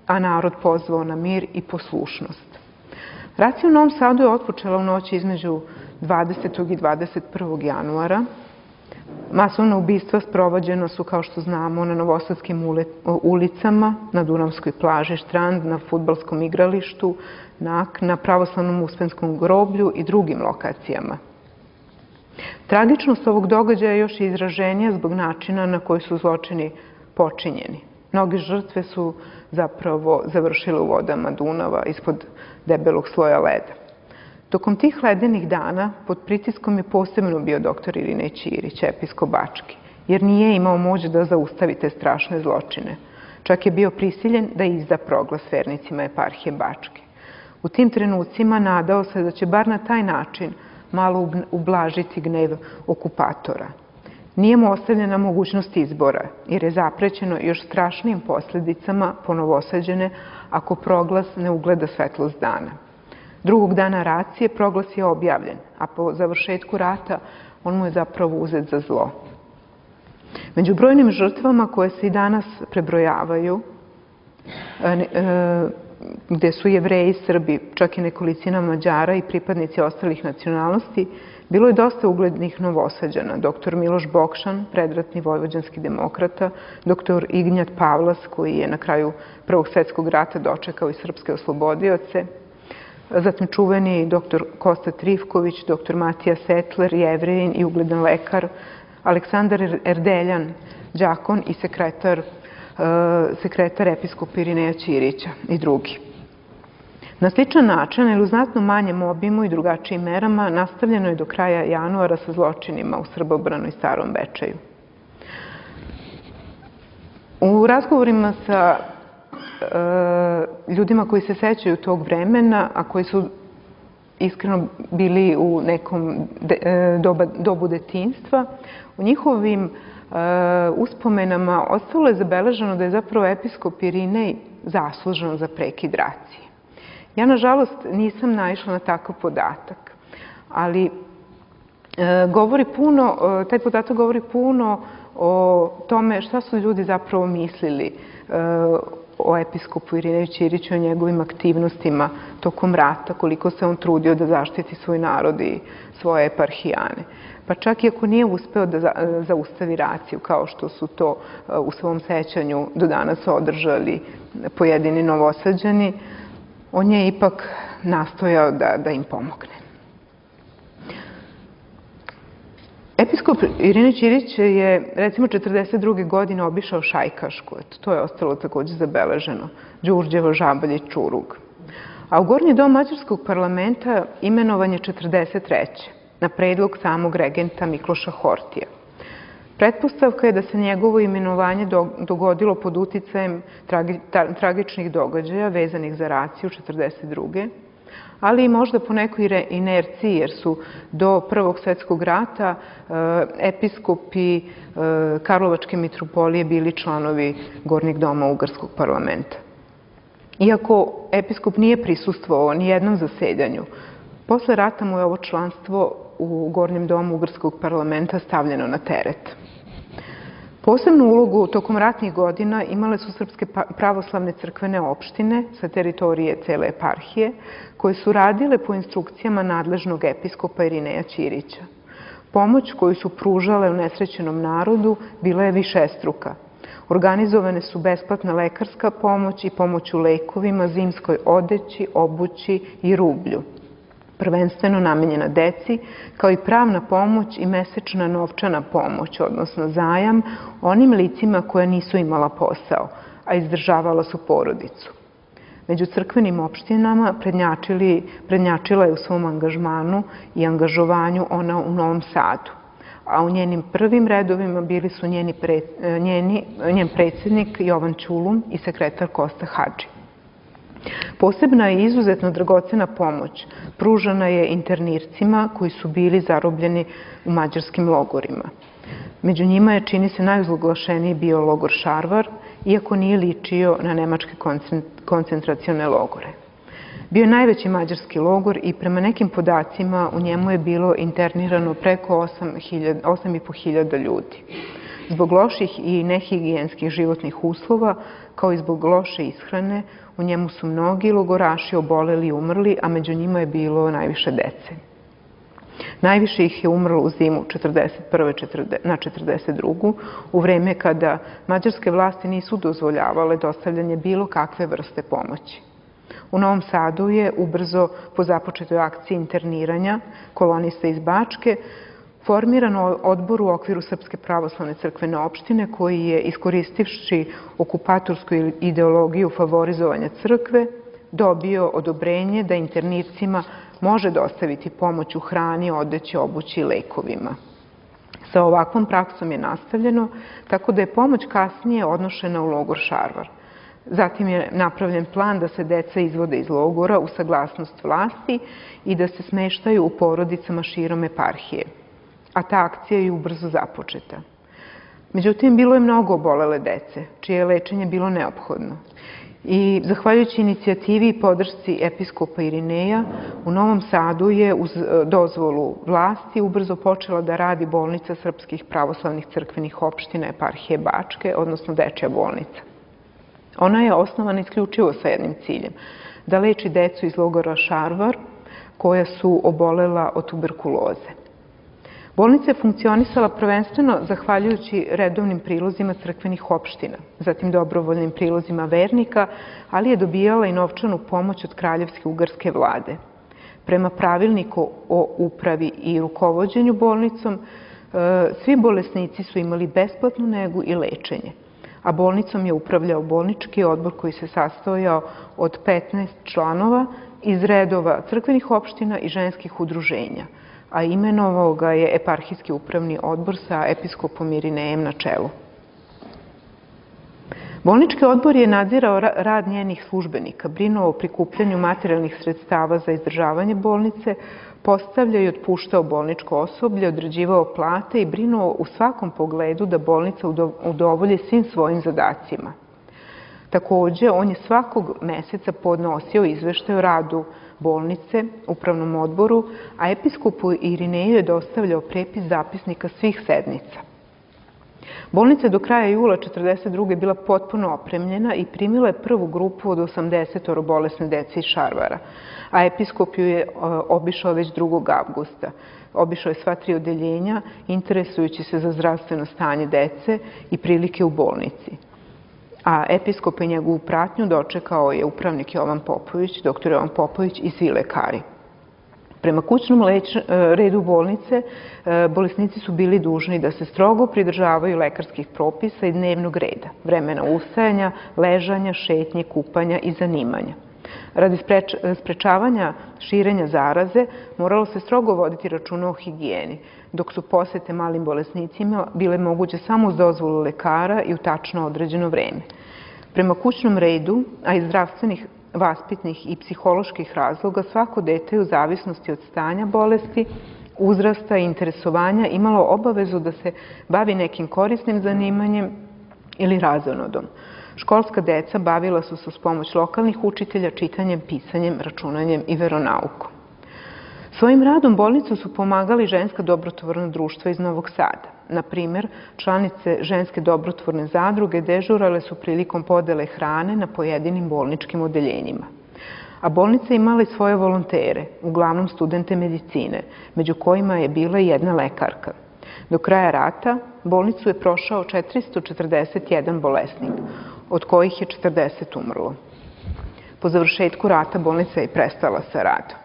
[SPEAKER 3] a narod pozvao na mir i poslušnost. Racija u Novom Sadu je otpočela u noći između 20. i 21. januara. Masovna ubistva sprovođena su, kao što znamo, na novosadskim ulicama, na Dunavskoj plaži Štrand, na fudbalskom igralištu, na pravoslavnom Uspenskom groblju i drugim lokacijama. Tragičnost ovog događaja još je izraženija zbog načina na koji su zločini počinjeni. Mnoge žrtve su zapravo završile u vodama Dunava ispod debelog sloja leda. Tokom tih ledenih dana pod pritiskom je posebno bio dr. Irinej Ćirić, episkop Bački, jer nije imao moć da zaustavi te strašne zločine. Čak je bio prisiljen da izda proglas vernicima eparhije Bačke. U tim trenucima nadao se da će bar na taj način malo ublažiti gnev okupatora. Nije mu ostavljena mogućnost izbora, jer je zaprećeno još strašnijim posljedicama po Novosađane ako proglas ne ugleda svetlost dana. Drugog dana racije proglas je objavljen, a po završetku rata on mu je zapravo uzet za zlo. Među brojnim žrtvama koje se i danas prebrojavaju, gde su Jevreji, Srbi, čak i nekolicina Mađara i pripadnici ostalih nacionalnosti, bilo je dosta uglednih Novosađana. Dr. Miloš Bokšan, predratni vojvođanski demokrata, dr. Ignjat Pavlas, koji je na kraju Prvog svetskog rata dočekao i srpske oslobodioce, zatim čuveni dr. Kosta Trifković, dr. Matija Setler, Jevrejin i ugledan lekar, Aleksandar Erdeljan, đakon i sekretar episkopa Irineja Ćirića i drugi. Na sličan način, ili u znatno manjem obimu i drugačijim merama, nastavljeno je do kraja januara sa zločinima u Srbobranu i Starom Bečeju. U razgovorima sa ljudima koji se sećaju tog vremena, a koji su iskreno bili u nekom dobu detinjstva, u njihovim uspomenama ostalo je zabeleženo da je zapravo episkop Irinej zaslužan za prekid racije. Ja, nažalost, nisam naišla na takav podatak, ali taj podatak govori puno o tome šta su ljudi zapravo mislili o episkopu Irineju Ćiriću, o njegovim aktivnostima tokom rata, koliko se on trudio da zaštiti svoj narod i svoje eparhijane. Pa čak i ako nije uspeo da zaustavi raciju, kao što su to u svom sećanju do danas održali pojedini Novosađani, on je ipak nastojao da im pomogne. Episkop Irinej Ćirić je, recimo, 1942. godine obišao Šajkašku. To je ostalo takođe zabeleženo. Đurđevo, Žabalj i Čurug. A u Gornji dom Mađarskog parlamenta imenovan je 1943. na predlog samog regenta Mikloša Hortija. Pretpostavka je da se njegovo imenovanje dogodilo pod uticajem tragičnih događaja vezanih za raciju 1942. ali i možda po nekoj inerciji, jer su do Prvog svjetskog rata episkopi Karlovačke mitropolije bili članovi Gornjeg doma Ugarskog parlamenta. Iako episkop nije prisustvovao ni jednom zasedanju, posle rata mu je ovo članstvo u Gornjem domu Ugarskog parlamenta stavljeno na teret. Posebnu ulogu tokom ratnih godina imale su srpske pravoslavne crkvene opštine sa teritorije cele eparhije, koje su radile po instrukcijama nadležnog episkopa Irineja Ćirića. Pomoć koju su pružale unesrećenom narodu bila je višestruka. Organizovane su besplatna lekarska pomoć i pomoć u lekovima, zimskoj odeći, obući i rublju, prvenstveno namenjena deci, kao i pravna pomoć i mesečna novčana pomoć, odnosno zajam, onim licima koja nisu imala posao, a izdržavala su porodicu. Među crkvenim opštinama prednjačila je u svom angažmanu i angažovanju ona u Novom Sadu, a u njenim prvim redovima bili su njen predsjednik Jovan Ćulum i sekretar Kosta Hadži. Posebna i izuzetno dragocena pomoć pružana je internircima koji su bili zarobljeni u mađarskim logorima. Među njima je, čini se, najozloglašeniji bio logor Šarvar, iako nije ličio na nemačke koncentracione logore. Bio je najveći mađarski logor i prema nekim podacima u njemu je bilo internirano preko 8.500 ljudi. Zbog loših i nehigijenskih životnih uslova, kao i zbog loše ishrane, u njemu su mnogi logoraši oboleli i umrli, a među njima je bilo najviše dece. Najviše ih je umrlo u zimu 1941. na 1942. u vreme kada mađarske vlasti nisu dozvoljavale dostavljanje bilo kakve vrste pomoći. U Novom Sadu je ubrzo po započetoj akciji interniranja kolonista iz Bačke formiran odbor u okviru Srpske pravoslavne crkvene opštine koji je, iskoristivši okupatorsku ideologiju favorizovanja crkve, dobio odobrenje da internircima može dostaviti pomoć u hrani, odeći, obući i lekovima. Sa ovakvom praksom je nastavljeno, tako da je pomoć kasnije odnošena u logor Šarvar. Zatim je napravljen plan da se deca izvode iz logora u saglasnost vlasti i da se smeštaju u porodicama širom eparhije. A ta akcija je ubrzo započeta. Međutim, bilo je mnogo obolele dece, čije je lečenje bilo neophodno. I zahvaljujući inicijativi i podršci episkopa Irineja, u Novom Sadu je uz dozvolu vlasti ubrzo počela da radi bolnica srpskih pravoslavnih crkvenih opština eparhije Bačke, odnosno dečja bolnica. Ona je osnovana isključivo sa jednim ciljem, da leči decu iz logora Šarvar koja su obolela od tuberkuloze. Bolnica je funkcionisala prvenstveno zahvaljujući redovnim prilozima crkvenih opština, zatim dobrovoljnim prilozima vernika, ali je dobijala i novčanu pomoć od kraljevske ugarske vlade. Prema pravilniku o upravi i rukovođenju bolnicom, svi bolesnici su imali besplatnu negu i lečenje, a bolnicom je upravljao bolnički odbor koji se sastojao od 15 članova iz redova crkvenih opština i ženskih udruženja, a imenovao ga je eparhijski upravni odbor sa episkopom Irinejem na čelu. Bolnički odbor je nadzirao rad njenih službenika, brinuo o prikupljanju materijalnih sredstava za izdržavanje bolnice, postavljao i otpuštao bolničko osoblje, određivao plate i brinuo u svakom pogledu da bolnica udovolji svim svojim zadacima. Takođe, on je svakog meseca podnosio izveštaj o radu bolnice upravnom odboru, a episkopu Irineju je dostavljao prepis zapisnika svih sednica. Bolnica je do kraja jula 1942. bila potpuno opremljena i primila je prvu grupu od 80 bolesne dece iz Šarvara, a episkop ju je obišao već 2. avgusta. Obišao je sva 3 odeljenja, interesujući se za zdravstveno stanje dece i prilike u bolnici. A episkopa i njegovu pratnju dočekao je upravnik Jovan Popović, doktor Jovan Popović i svi lekari. Prema kućnom redu bolnice, bolesnici su bili dužni da se strogo pridržavaju lekarskih propisa i dnevnog reda, vremena ustajanja, ležanja, šetnje, kupanja i zanimanja. Radi sprečavanja širenja zaraze moralo se strogo voditi računa o higijeni. dok su posete malim bolesnicima bile moguće samo uz dozvolu lekara i u tačno određeno vreme. Prema kućnom redu, a iz zdravstvenih, vaspitnih i psiholoških razloga, svako dete u zavisnosti od stanja bolesti, uzrasta i interesovanja imalo obavezu da se bavi nekim korisnim zanimanjem ili razonodom. Školska deca bavila su se uz pomoć lokalnih učitelja čitanjem, pisanjem, računanjem i veronaukom. Svojim radom bolnicu su pomagali ženska dobrotvorna društva iz Novog Sada. Na primjer, članice ženske dobrotvorne zadruge dežurale su prilikom podele hrane na pojedinim bolničkim odeljenjima. A bolnica imala i svoje volontere, uglavnom studente medicine, među kojima je bila i jedna lekarka. Do kraja rata bolnicu je prošao 441 bolesnik, od kojih je 40 umrlo. Po završetku rata bolnica je prestala sa radom.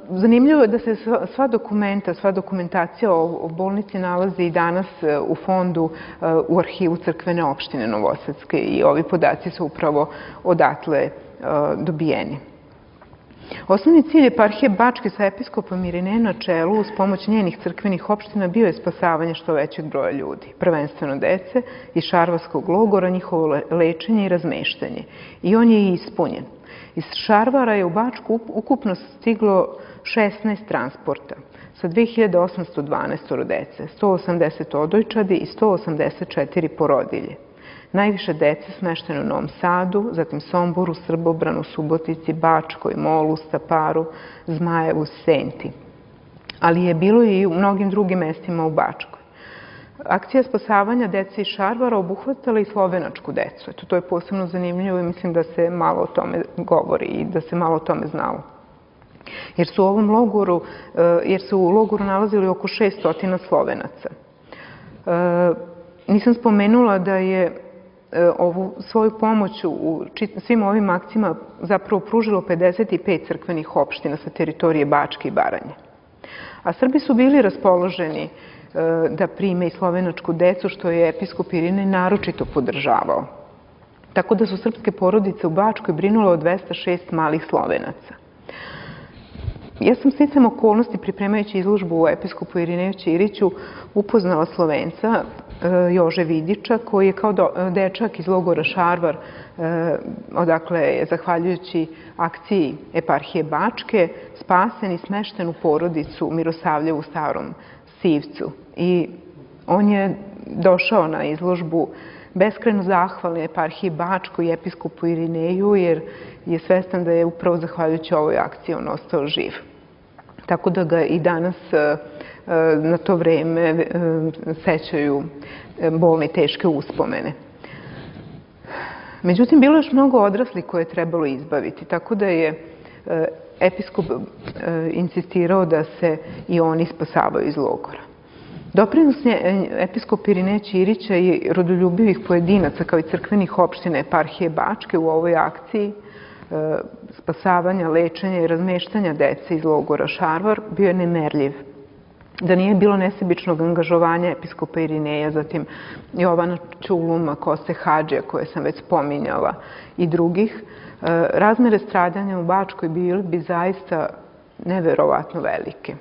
[SPEAKER 3] Zanimljivo je da se sva dokumentacija o bolnici nalazi i danas u fondu u arhivu crkvene opštine Novosadske i ovi podaci su upravo odatle dobijeni. Osnovni cilj eparhije Bačke sa episkopom Irinejem na čelu uz pomoć njenih crkvenih opština bio je spasavanje što većeg broja ljudi, prvenstveno dece iz Šarvarskog logora, njihovo lečenje i razmeštanje. I on je i ispunjen. Iz Šarvara je u Bačku ukupno stiglo 16 transporta sa 2812 dece, 180 odojčadi i 184 porodilje. Najviše dece smešteno u Novom Sadu, zatim Somboru, Srbobranu, Subotici, Bačkoj, Molu, Staparu, Zmajevu, Senti. Ali je bilo i u mnogim drugim mestima u Bačkoj. Akcija spasavanja dece iz Šarvara obuhvatala i slovenačku decu. Eto, to je posebno zanimljivo i mislim da se malo o tome govori i da se malo o tome znalo. Jer su u logoru nalazili oko 600 Slovenaca. Nisam spomenula da je ovu svoju pomoć u svim ovim akcijama zapravo pružilo 55 crkvenih opština sa teritorije Bačke i Baranje. A Srbi su bili raspoloženi da prime i slovenačku decu, što je episkop Irinej naročito podržavao. Tako da su srpske porodice u Bačkoj brinule o 206 malih Slovenaca. Ja sam sticajem okolnosti, pripremajući izložbu o episkopu Irineju Ćiriću, upoznala Slovenca Jože Vidiča, koji je kao dečak iz logora Šarvar, odakle je, zahvaljujući akciji eparhije Bačke, spasen i smešten u porodicu Mirosavljevu u Starom Sivcu. I on je došao na izložbu beskrajno zahvalan eparhiji Bačkoj i episkopu Irineju, jer je svestan da je upravo zahvaljujući ovoj akciji on ostao živ. Tako da ga i danas na to vreme sećaju bolne i teške uspomene. Međutim, bilo je još mnogo odraslih koje je trebalo izbaviti, tako da je episkop insistirao da se i oni spasavaju iz logora. Doprinos episkopa Irineja Ćirića i rodoljubivih pojedinaca kao i crkvenih opština eparhije Bačke u ovoj akciji spasavanja, lečenja i razmeštanja dece iz logora Šarvar bio je nemerljiv. Da nije bilo nesebičnog angažovanja episkopa Irineja, zatim Jovana Ćuluma, Koste Hadžija, koje sam već spominjala, i drugih, razmere stradanja u Bačkoj bili bi zaista neverovatno velike.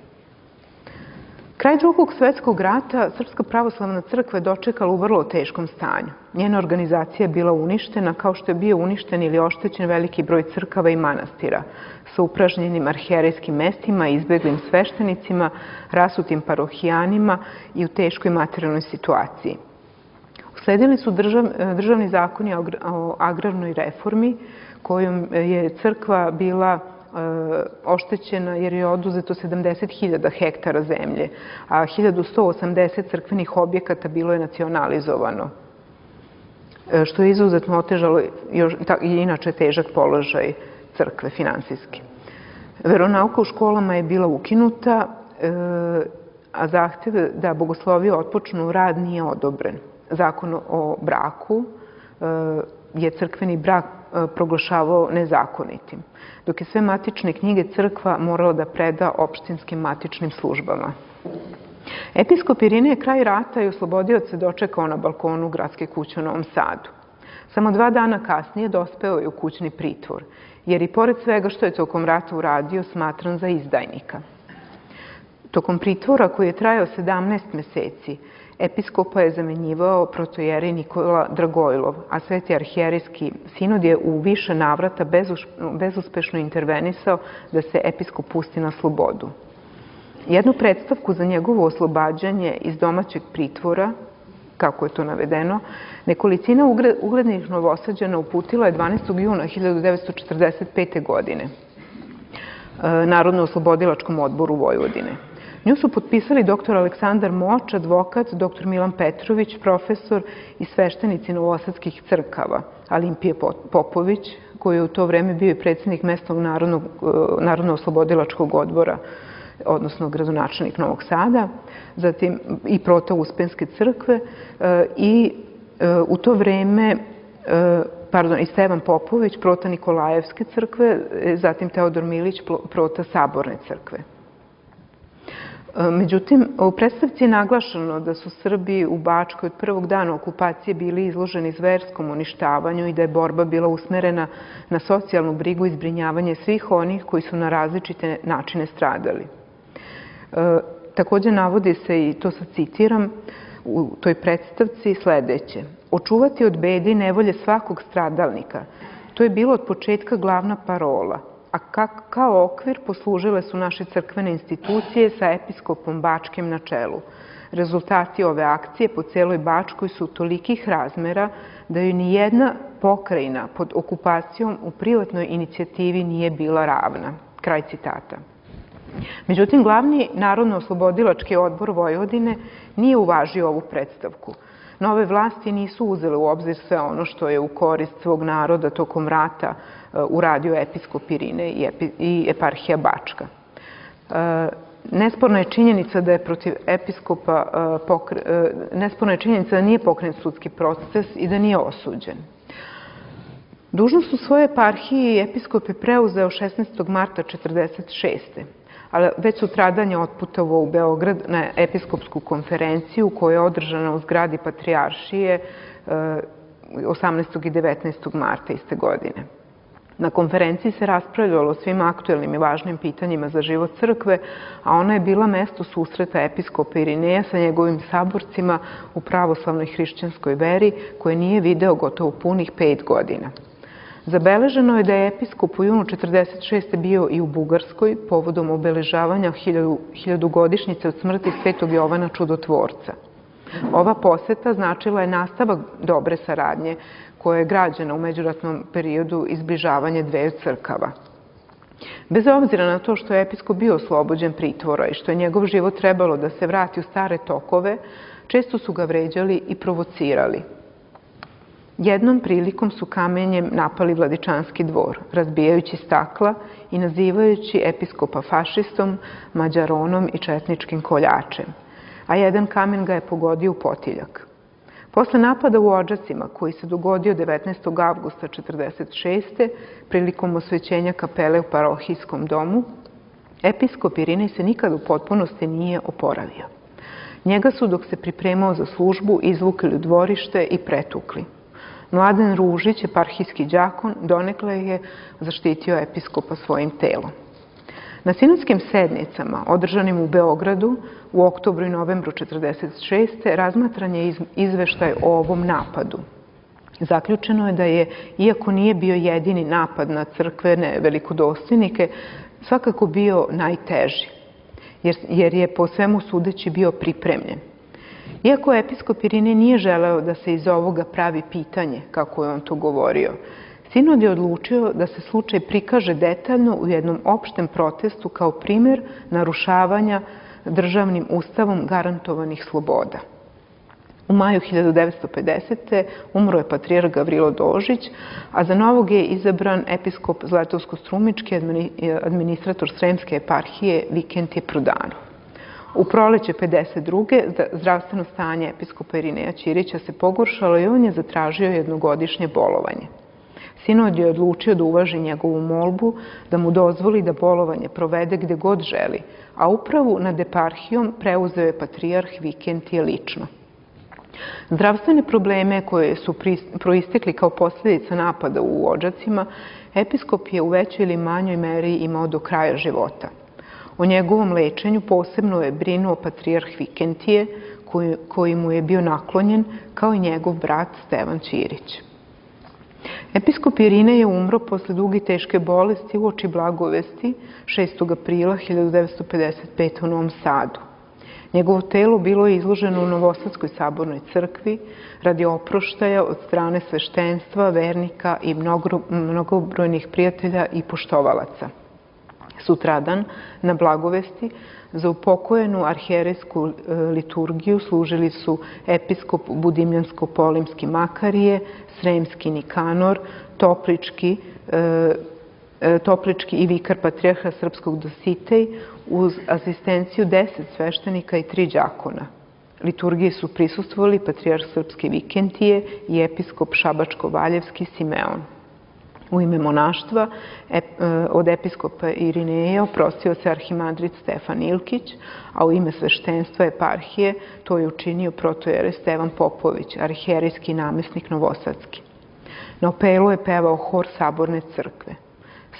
[SPEAKER 3] Kraj Drugog svetskog rata Srpska pravoslavna crkva je dočekala u vrlo teškom stanju. Njena organizacija je bila uništena, kao što je bio uništen ili oštećen veliki broj crkava i manastira, sa upražnjenim arhijerejskim mestima, izbeglim sveštenicima, rasutim parohijanima i u teškoj materijalnoj situaciji. Usledili su državni zakoni o agrarnoj reformi, kojom je crkva bila oštećena jer je oduzeto 70.000 hektara zemlje, a 1180 crkvenih objekata bilo je nacionalizovano, što je izuzetno otežalo i inače težak položaj crkve finansijski. Veronauka u školama je bila ukinuta, a zahtev da bogoslovije otpočnu rad nije odobren. Zakon o braku je crkveni brak proglašavao nezakonitim, dok je sve matične knjige crkva morala da preda opštinskim matičnim službama. Episkop Irinej je kraj rata i oslobodioce dočekao na balkonu gradske kuće u Novom Sadu. Samo 2 dana kasnije dospeo je u kućni pritvor, jer i pored svega što je tokom rata uradio smatran za izdajnika. Tokom pritvora koji je trajao 17 meseci, episkopa je zamenjivao protojerej Nikola Dragojlov, a Sveti arhijerejski sinod je u više navrata bezuspešno intervenisao da se episkop pusti na slobodu. Jednu predstavku za njegovo oslobađanje iz domaćeg pritvora, kako je to navedeno, nekolicina uglednih Novosađana uputila je 12. juna 1945. godine Narodno-oslobodilačkom odboru Vojvodine. Nju su potpisali dr. Aleksandar Moč, advokat, dr. Milan Petrović, profesor i sveštenici novosadskih crkava, Alimpije Popović, koji je u to vreme bio i predsjednik mesnog Narodno-oslobodilačkog odbora, odnosno gradonačelnik Novog Sada, zatim i prota Uspenske crkve i u to vreme, i Stevan Popović, prota Nikolajevske crkve, zatim Teodor Milić, prota Saborne crkve. Međutim, u predstavci je naglašeno da su Srbi u Bačkoj od prvog dana okupacije bili izloženi zverskom uništavanju i da je borba bila usmerena na socijalnu brigu i zbrinjavanje svih onih koji su na različite načine stradali. Također navodi se, i to sad citiram, u toj predstavci sledeće: očuvati od bede i nevolje svakog stradalnika. To je bilo od početka glavna parola, a kao okvir poslužile su naše crkvene institucije sa episkopom Bačkim na čelu. Rezultati ove akcije po celoj Bačkoj su tolikih razmera da joj ni jedna pokrajina pod okupacijom u privatnoj inicijativi nije bila ravna. Kraj citata. Međutim, glavni Narodno-oslobodilački odbor Vojvodine nije uvažio ovu predstavku. Nove vlasti nisu uzele u obzir sve ono što je u korist svog naroda tokom rata uradio episkop Irinej i eparhija Bačka. Nesporna je činjenica da je protiv episkopa nesporna je činjenica da nije pokrenut sudski proces i da nije osuđen. Dužnost u svojoj eparhiji episkop je preuzeo 16. marta 1946. ali već sutradan je otputovao u Beograd na episkopsku konferenciju koja je održana u zgradi Patrijaršije 18. i 19. marta iste godine. Na konferenciji se raspravljalo o svim aktuelnim i važnim pitanjima za život crkve, a ona je bila mesto susreta episkopa Irineja sa njegovim saborcima u pravoslavnoj hrišćanskoj veri, koje nije video gotovo punih 5 godina. Zabeleženo je da je episkop u junu 1946. bio i u Bugarskoj povodom obeležavanja 1000-godišnjice od smrti Svetog Jovana Čudotvorca. Ova poseta značila je nastavak dobre saradnje koja je građena u međuratnom periodu i zbližavanje dveju crkava. Bez obzira na to što je episkop bio oslobođen pritvora i što je njegov život trebalo da se vrati u stare tokove, često su ga vređali i provocirali. Jednom prilikom su kamenjem napali Vladičanski dvor, razbijajući stakla i nazivajući episkopa fašistom, mađaronom i četničkim koljačem, a jedan kamen ga je pogodio u potiljak. Posle napada u Odžacima, koji se dogodio 19. avgusta 1946. prilikom osvećenja kapele u parohijskom domu, episkop Irinej se nikad u potpunosti nije oporavio. Njega su, dok se pripremao za službu, izvukli u dvorište i pretukli. Mladen Ružić, eparhijski đakon, donekle je zaštitio episkopa svojim telom. Na sinodskim sednicama, održanim u Beogradu u oktobru i novembru 1946. razmatran je izveštaj o ovom napadu. Zaključeno je da je, iako nije bio jedini napad na crkvene velikodostojnike, svakako bio najteži, jer je po svemu sudeći bio pripremljen. Iako episkop Irinej nije želeo da se iz ovoga pravi pitanje, kako je on to govorio, sinod je odlučio da se slučaj prikaže detaljno u jednom opštem protestu kao primjer narušavanja državnim ustavom garantovanih sloboda. U maju 1950. umro je patrijarh Gavrilo Dožić, a za novog je izabran episkop Zlatovsko-strumički administrator Sremske eparhije Vikentije Prudanov. U proleće 1952. zdravstveno stanje episkopa Irineja Ćirića se pogoršalo i on je zatražio jednogodišnje bolovanje. Sinod je odlučio da uvaži njegovu molbu, da mu dozvoli da bolovanje provede gde god želi, a upravu nad eparhijom preuzeo je patrijarh Vikentije lično. Zdravstvene probleme koje su proistekli kao posljedica napada u Odžacima, episkop je u većoj ili manjoj meri imao do kraja života. O njegovom lečenju posebno je brinuo patrijarh Vikentije, koji mu je bio naklonjen, kao i njegov brat Stevan Ćirić. Episkop Irinej je umro posle duge i teške bolesti uoči Blagovesti 6. aprila 1955. u Novom Sadu. Njegovo telo bilo je izloženo u Novosadskoj sabornoj crkvi radi oproštaja od strane sveštenstva, vernika i mnogobrojnih prijatelja i poštovalaca. Sutradan, na Blagovesti, za upokojenu arhijerejsku liturgiju služili su episkop Budimljansko-Polimski Makarije, Sremski Nikanor, Toplički i vikar patrijarha srpskog Dositej uz asistenciju 10 sveštenika i 3 đakona. Liturgiji su prisustvovali patrijarh srpske Vikentije i episkop Šabačko-Valjevski Simeon. U ime monaštva od episkopa Irineja oprostio se arhimandrit Stefan Ilkić, a u ime sveštenstva eparhije to je učinio protojerej Stevan Popović, arhijerejski namesnik Novosadski. Na opelu je pevao hor Saborne crkve.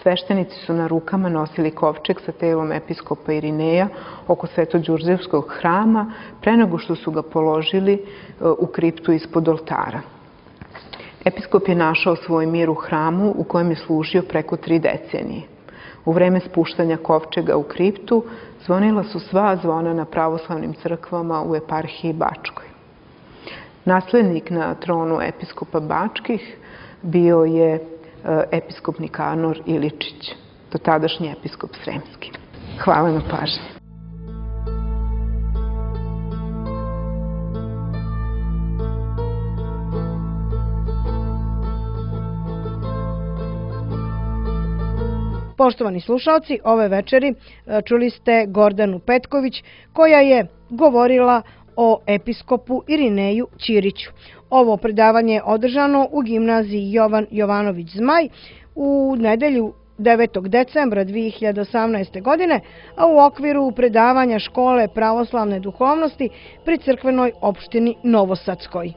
[SPEAKER 3] Sveštenici su na rukama nosili kovčeg sa telom episkopa Irineja oko Svetođurđevskog hrama pre nego što su ga položili u kriptu ispod oltara. Episkop je našao svoj mir u hramu u kojem je služio preko 3 decenije. U vreme spuštanja kovčega u kriptu zvonila su sva zvona na pravoslavnim crkvama u eparhiji Bačkoj. Naslednik na tronu episkopa Bačkih bio je episkop Nikanor Iličić, dotadašnji episkop Sremski. Hvala na pažnji.
[SPEAKER 2] Poštovani slušalci, ove večeri čuli ste Gordanu Petković koja je govorila o episkopu Irineju Ćiriću. Ovo predavanje je održano u gimnaziji Jovan Jovanović Zmaj u nedelju 9. decembra 2018. godine, a u okviru predavanja Škole pravoslavne duhovnosti pri crkvenoj opštini Novosadskoj.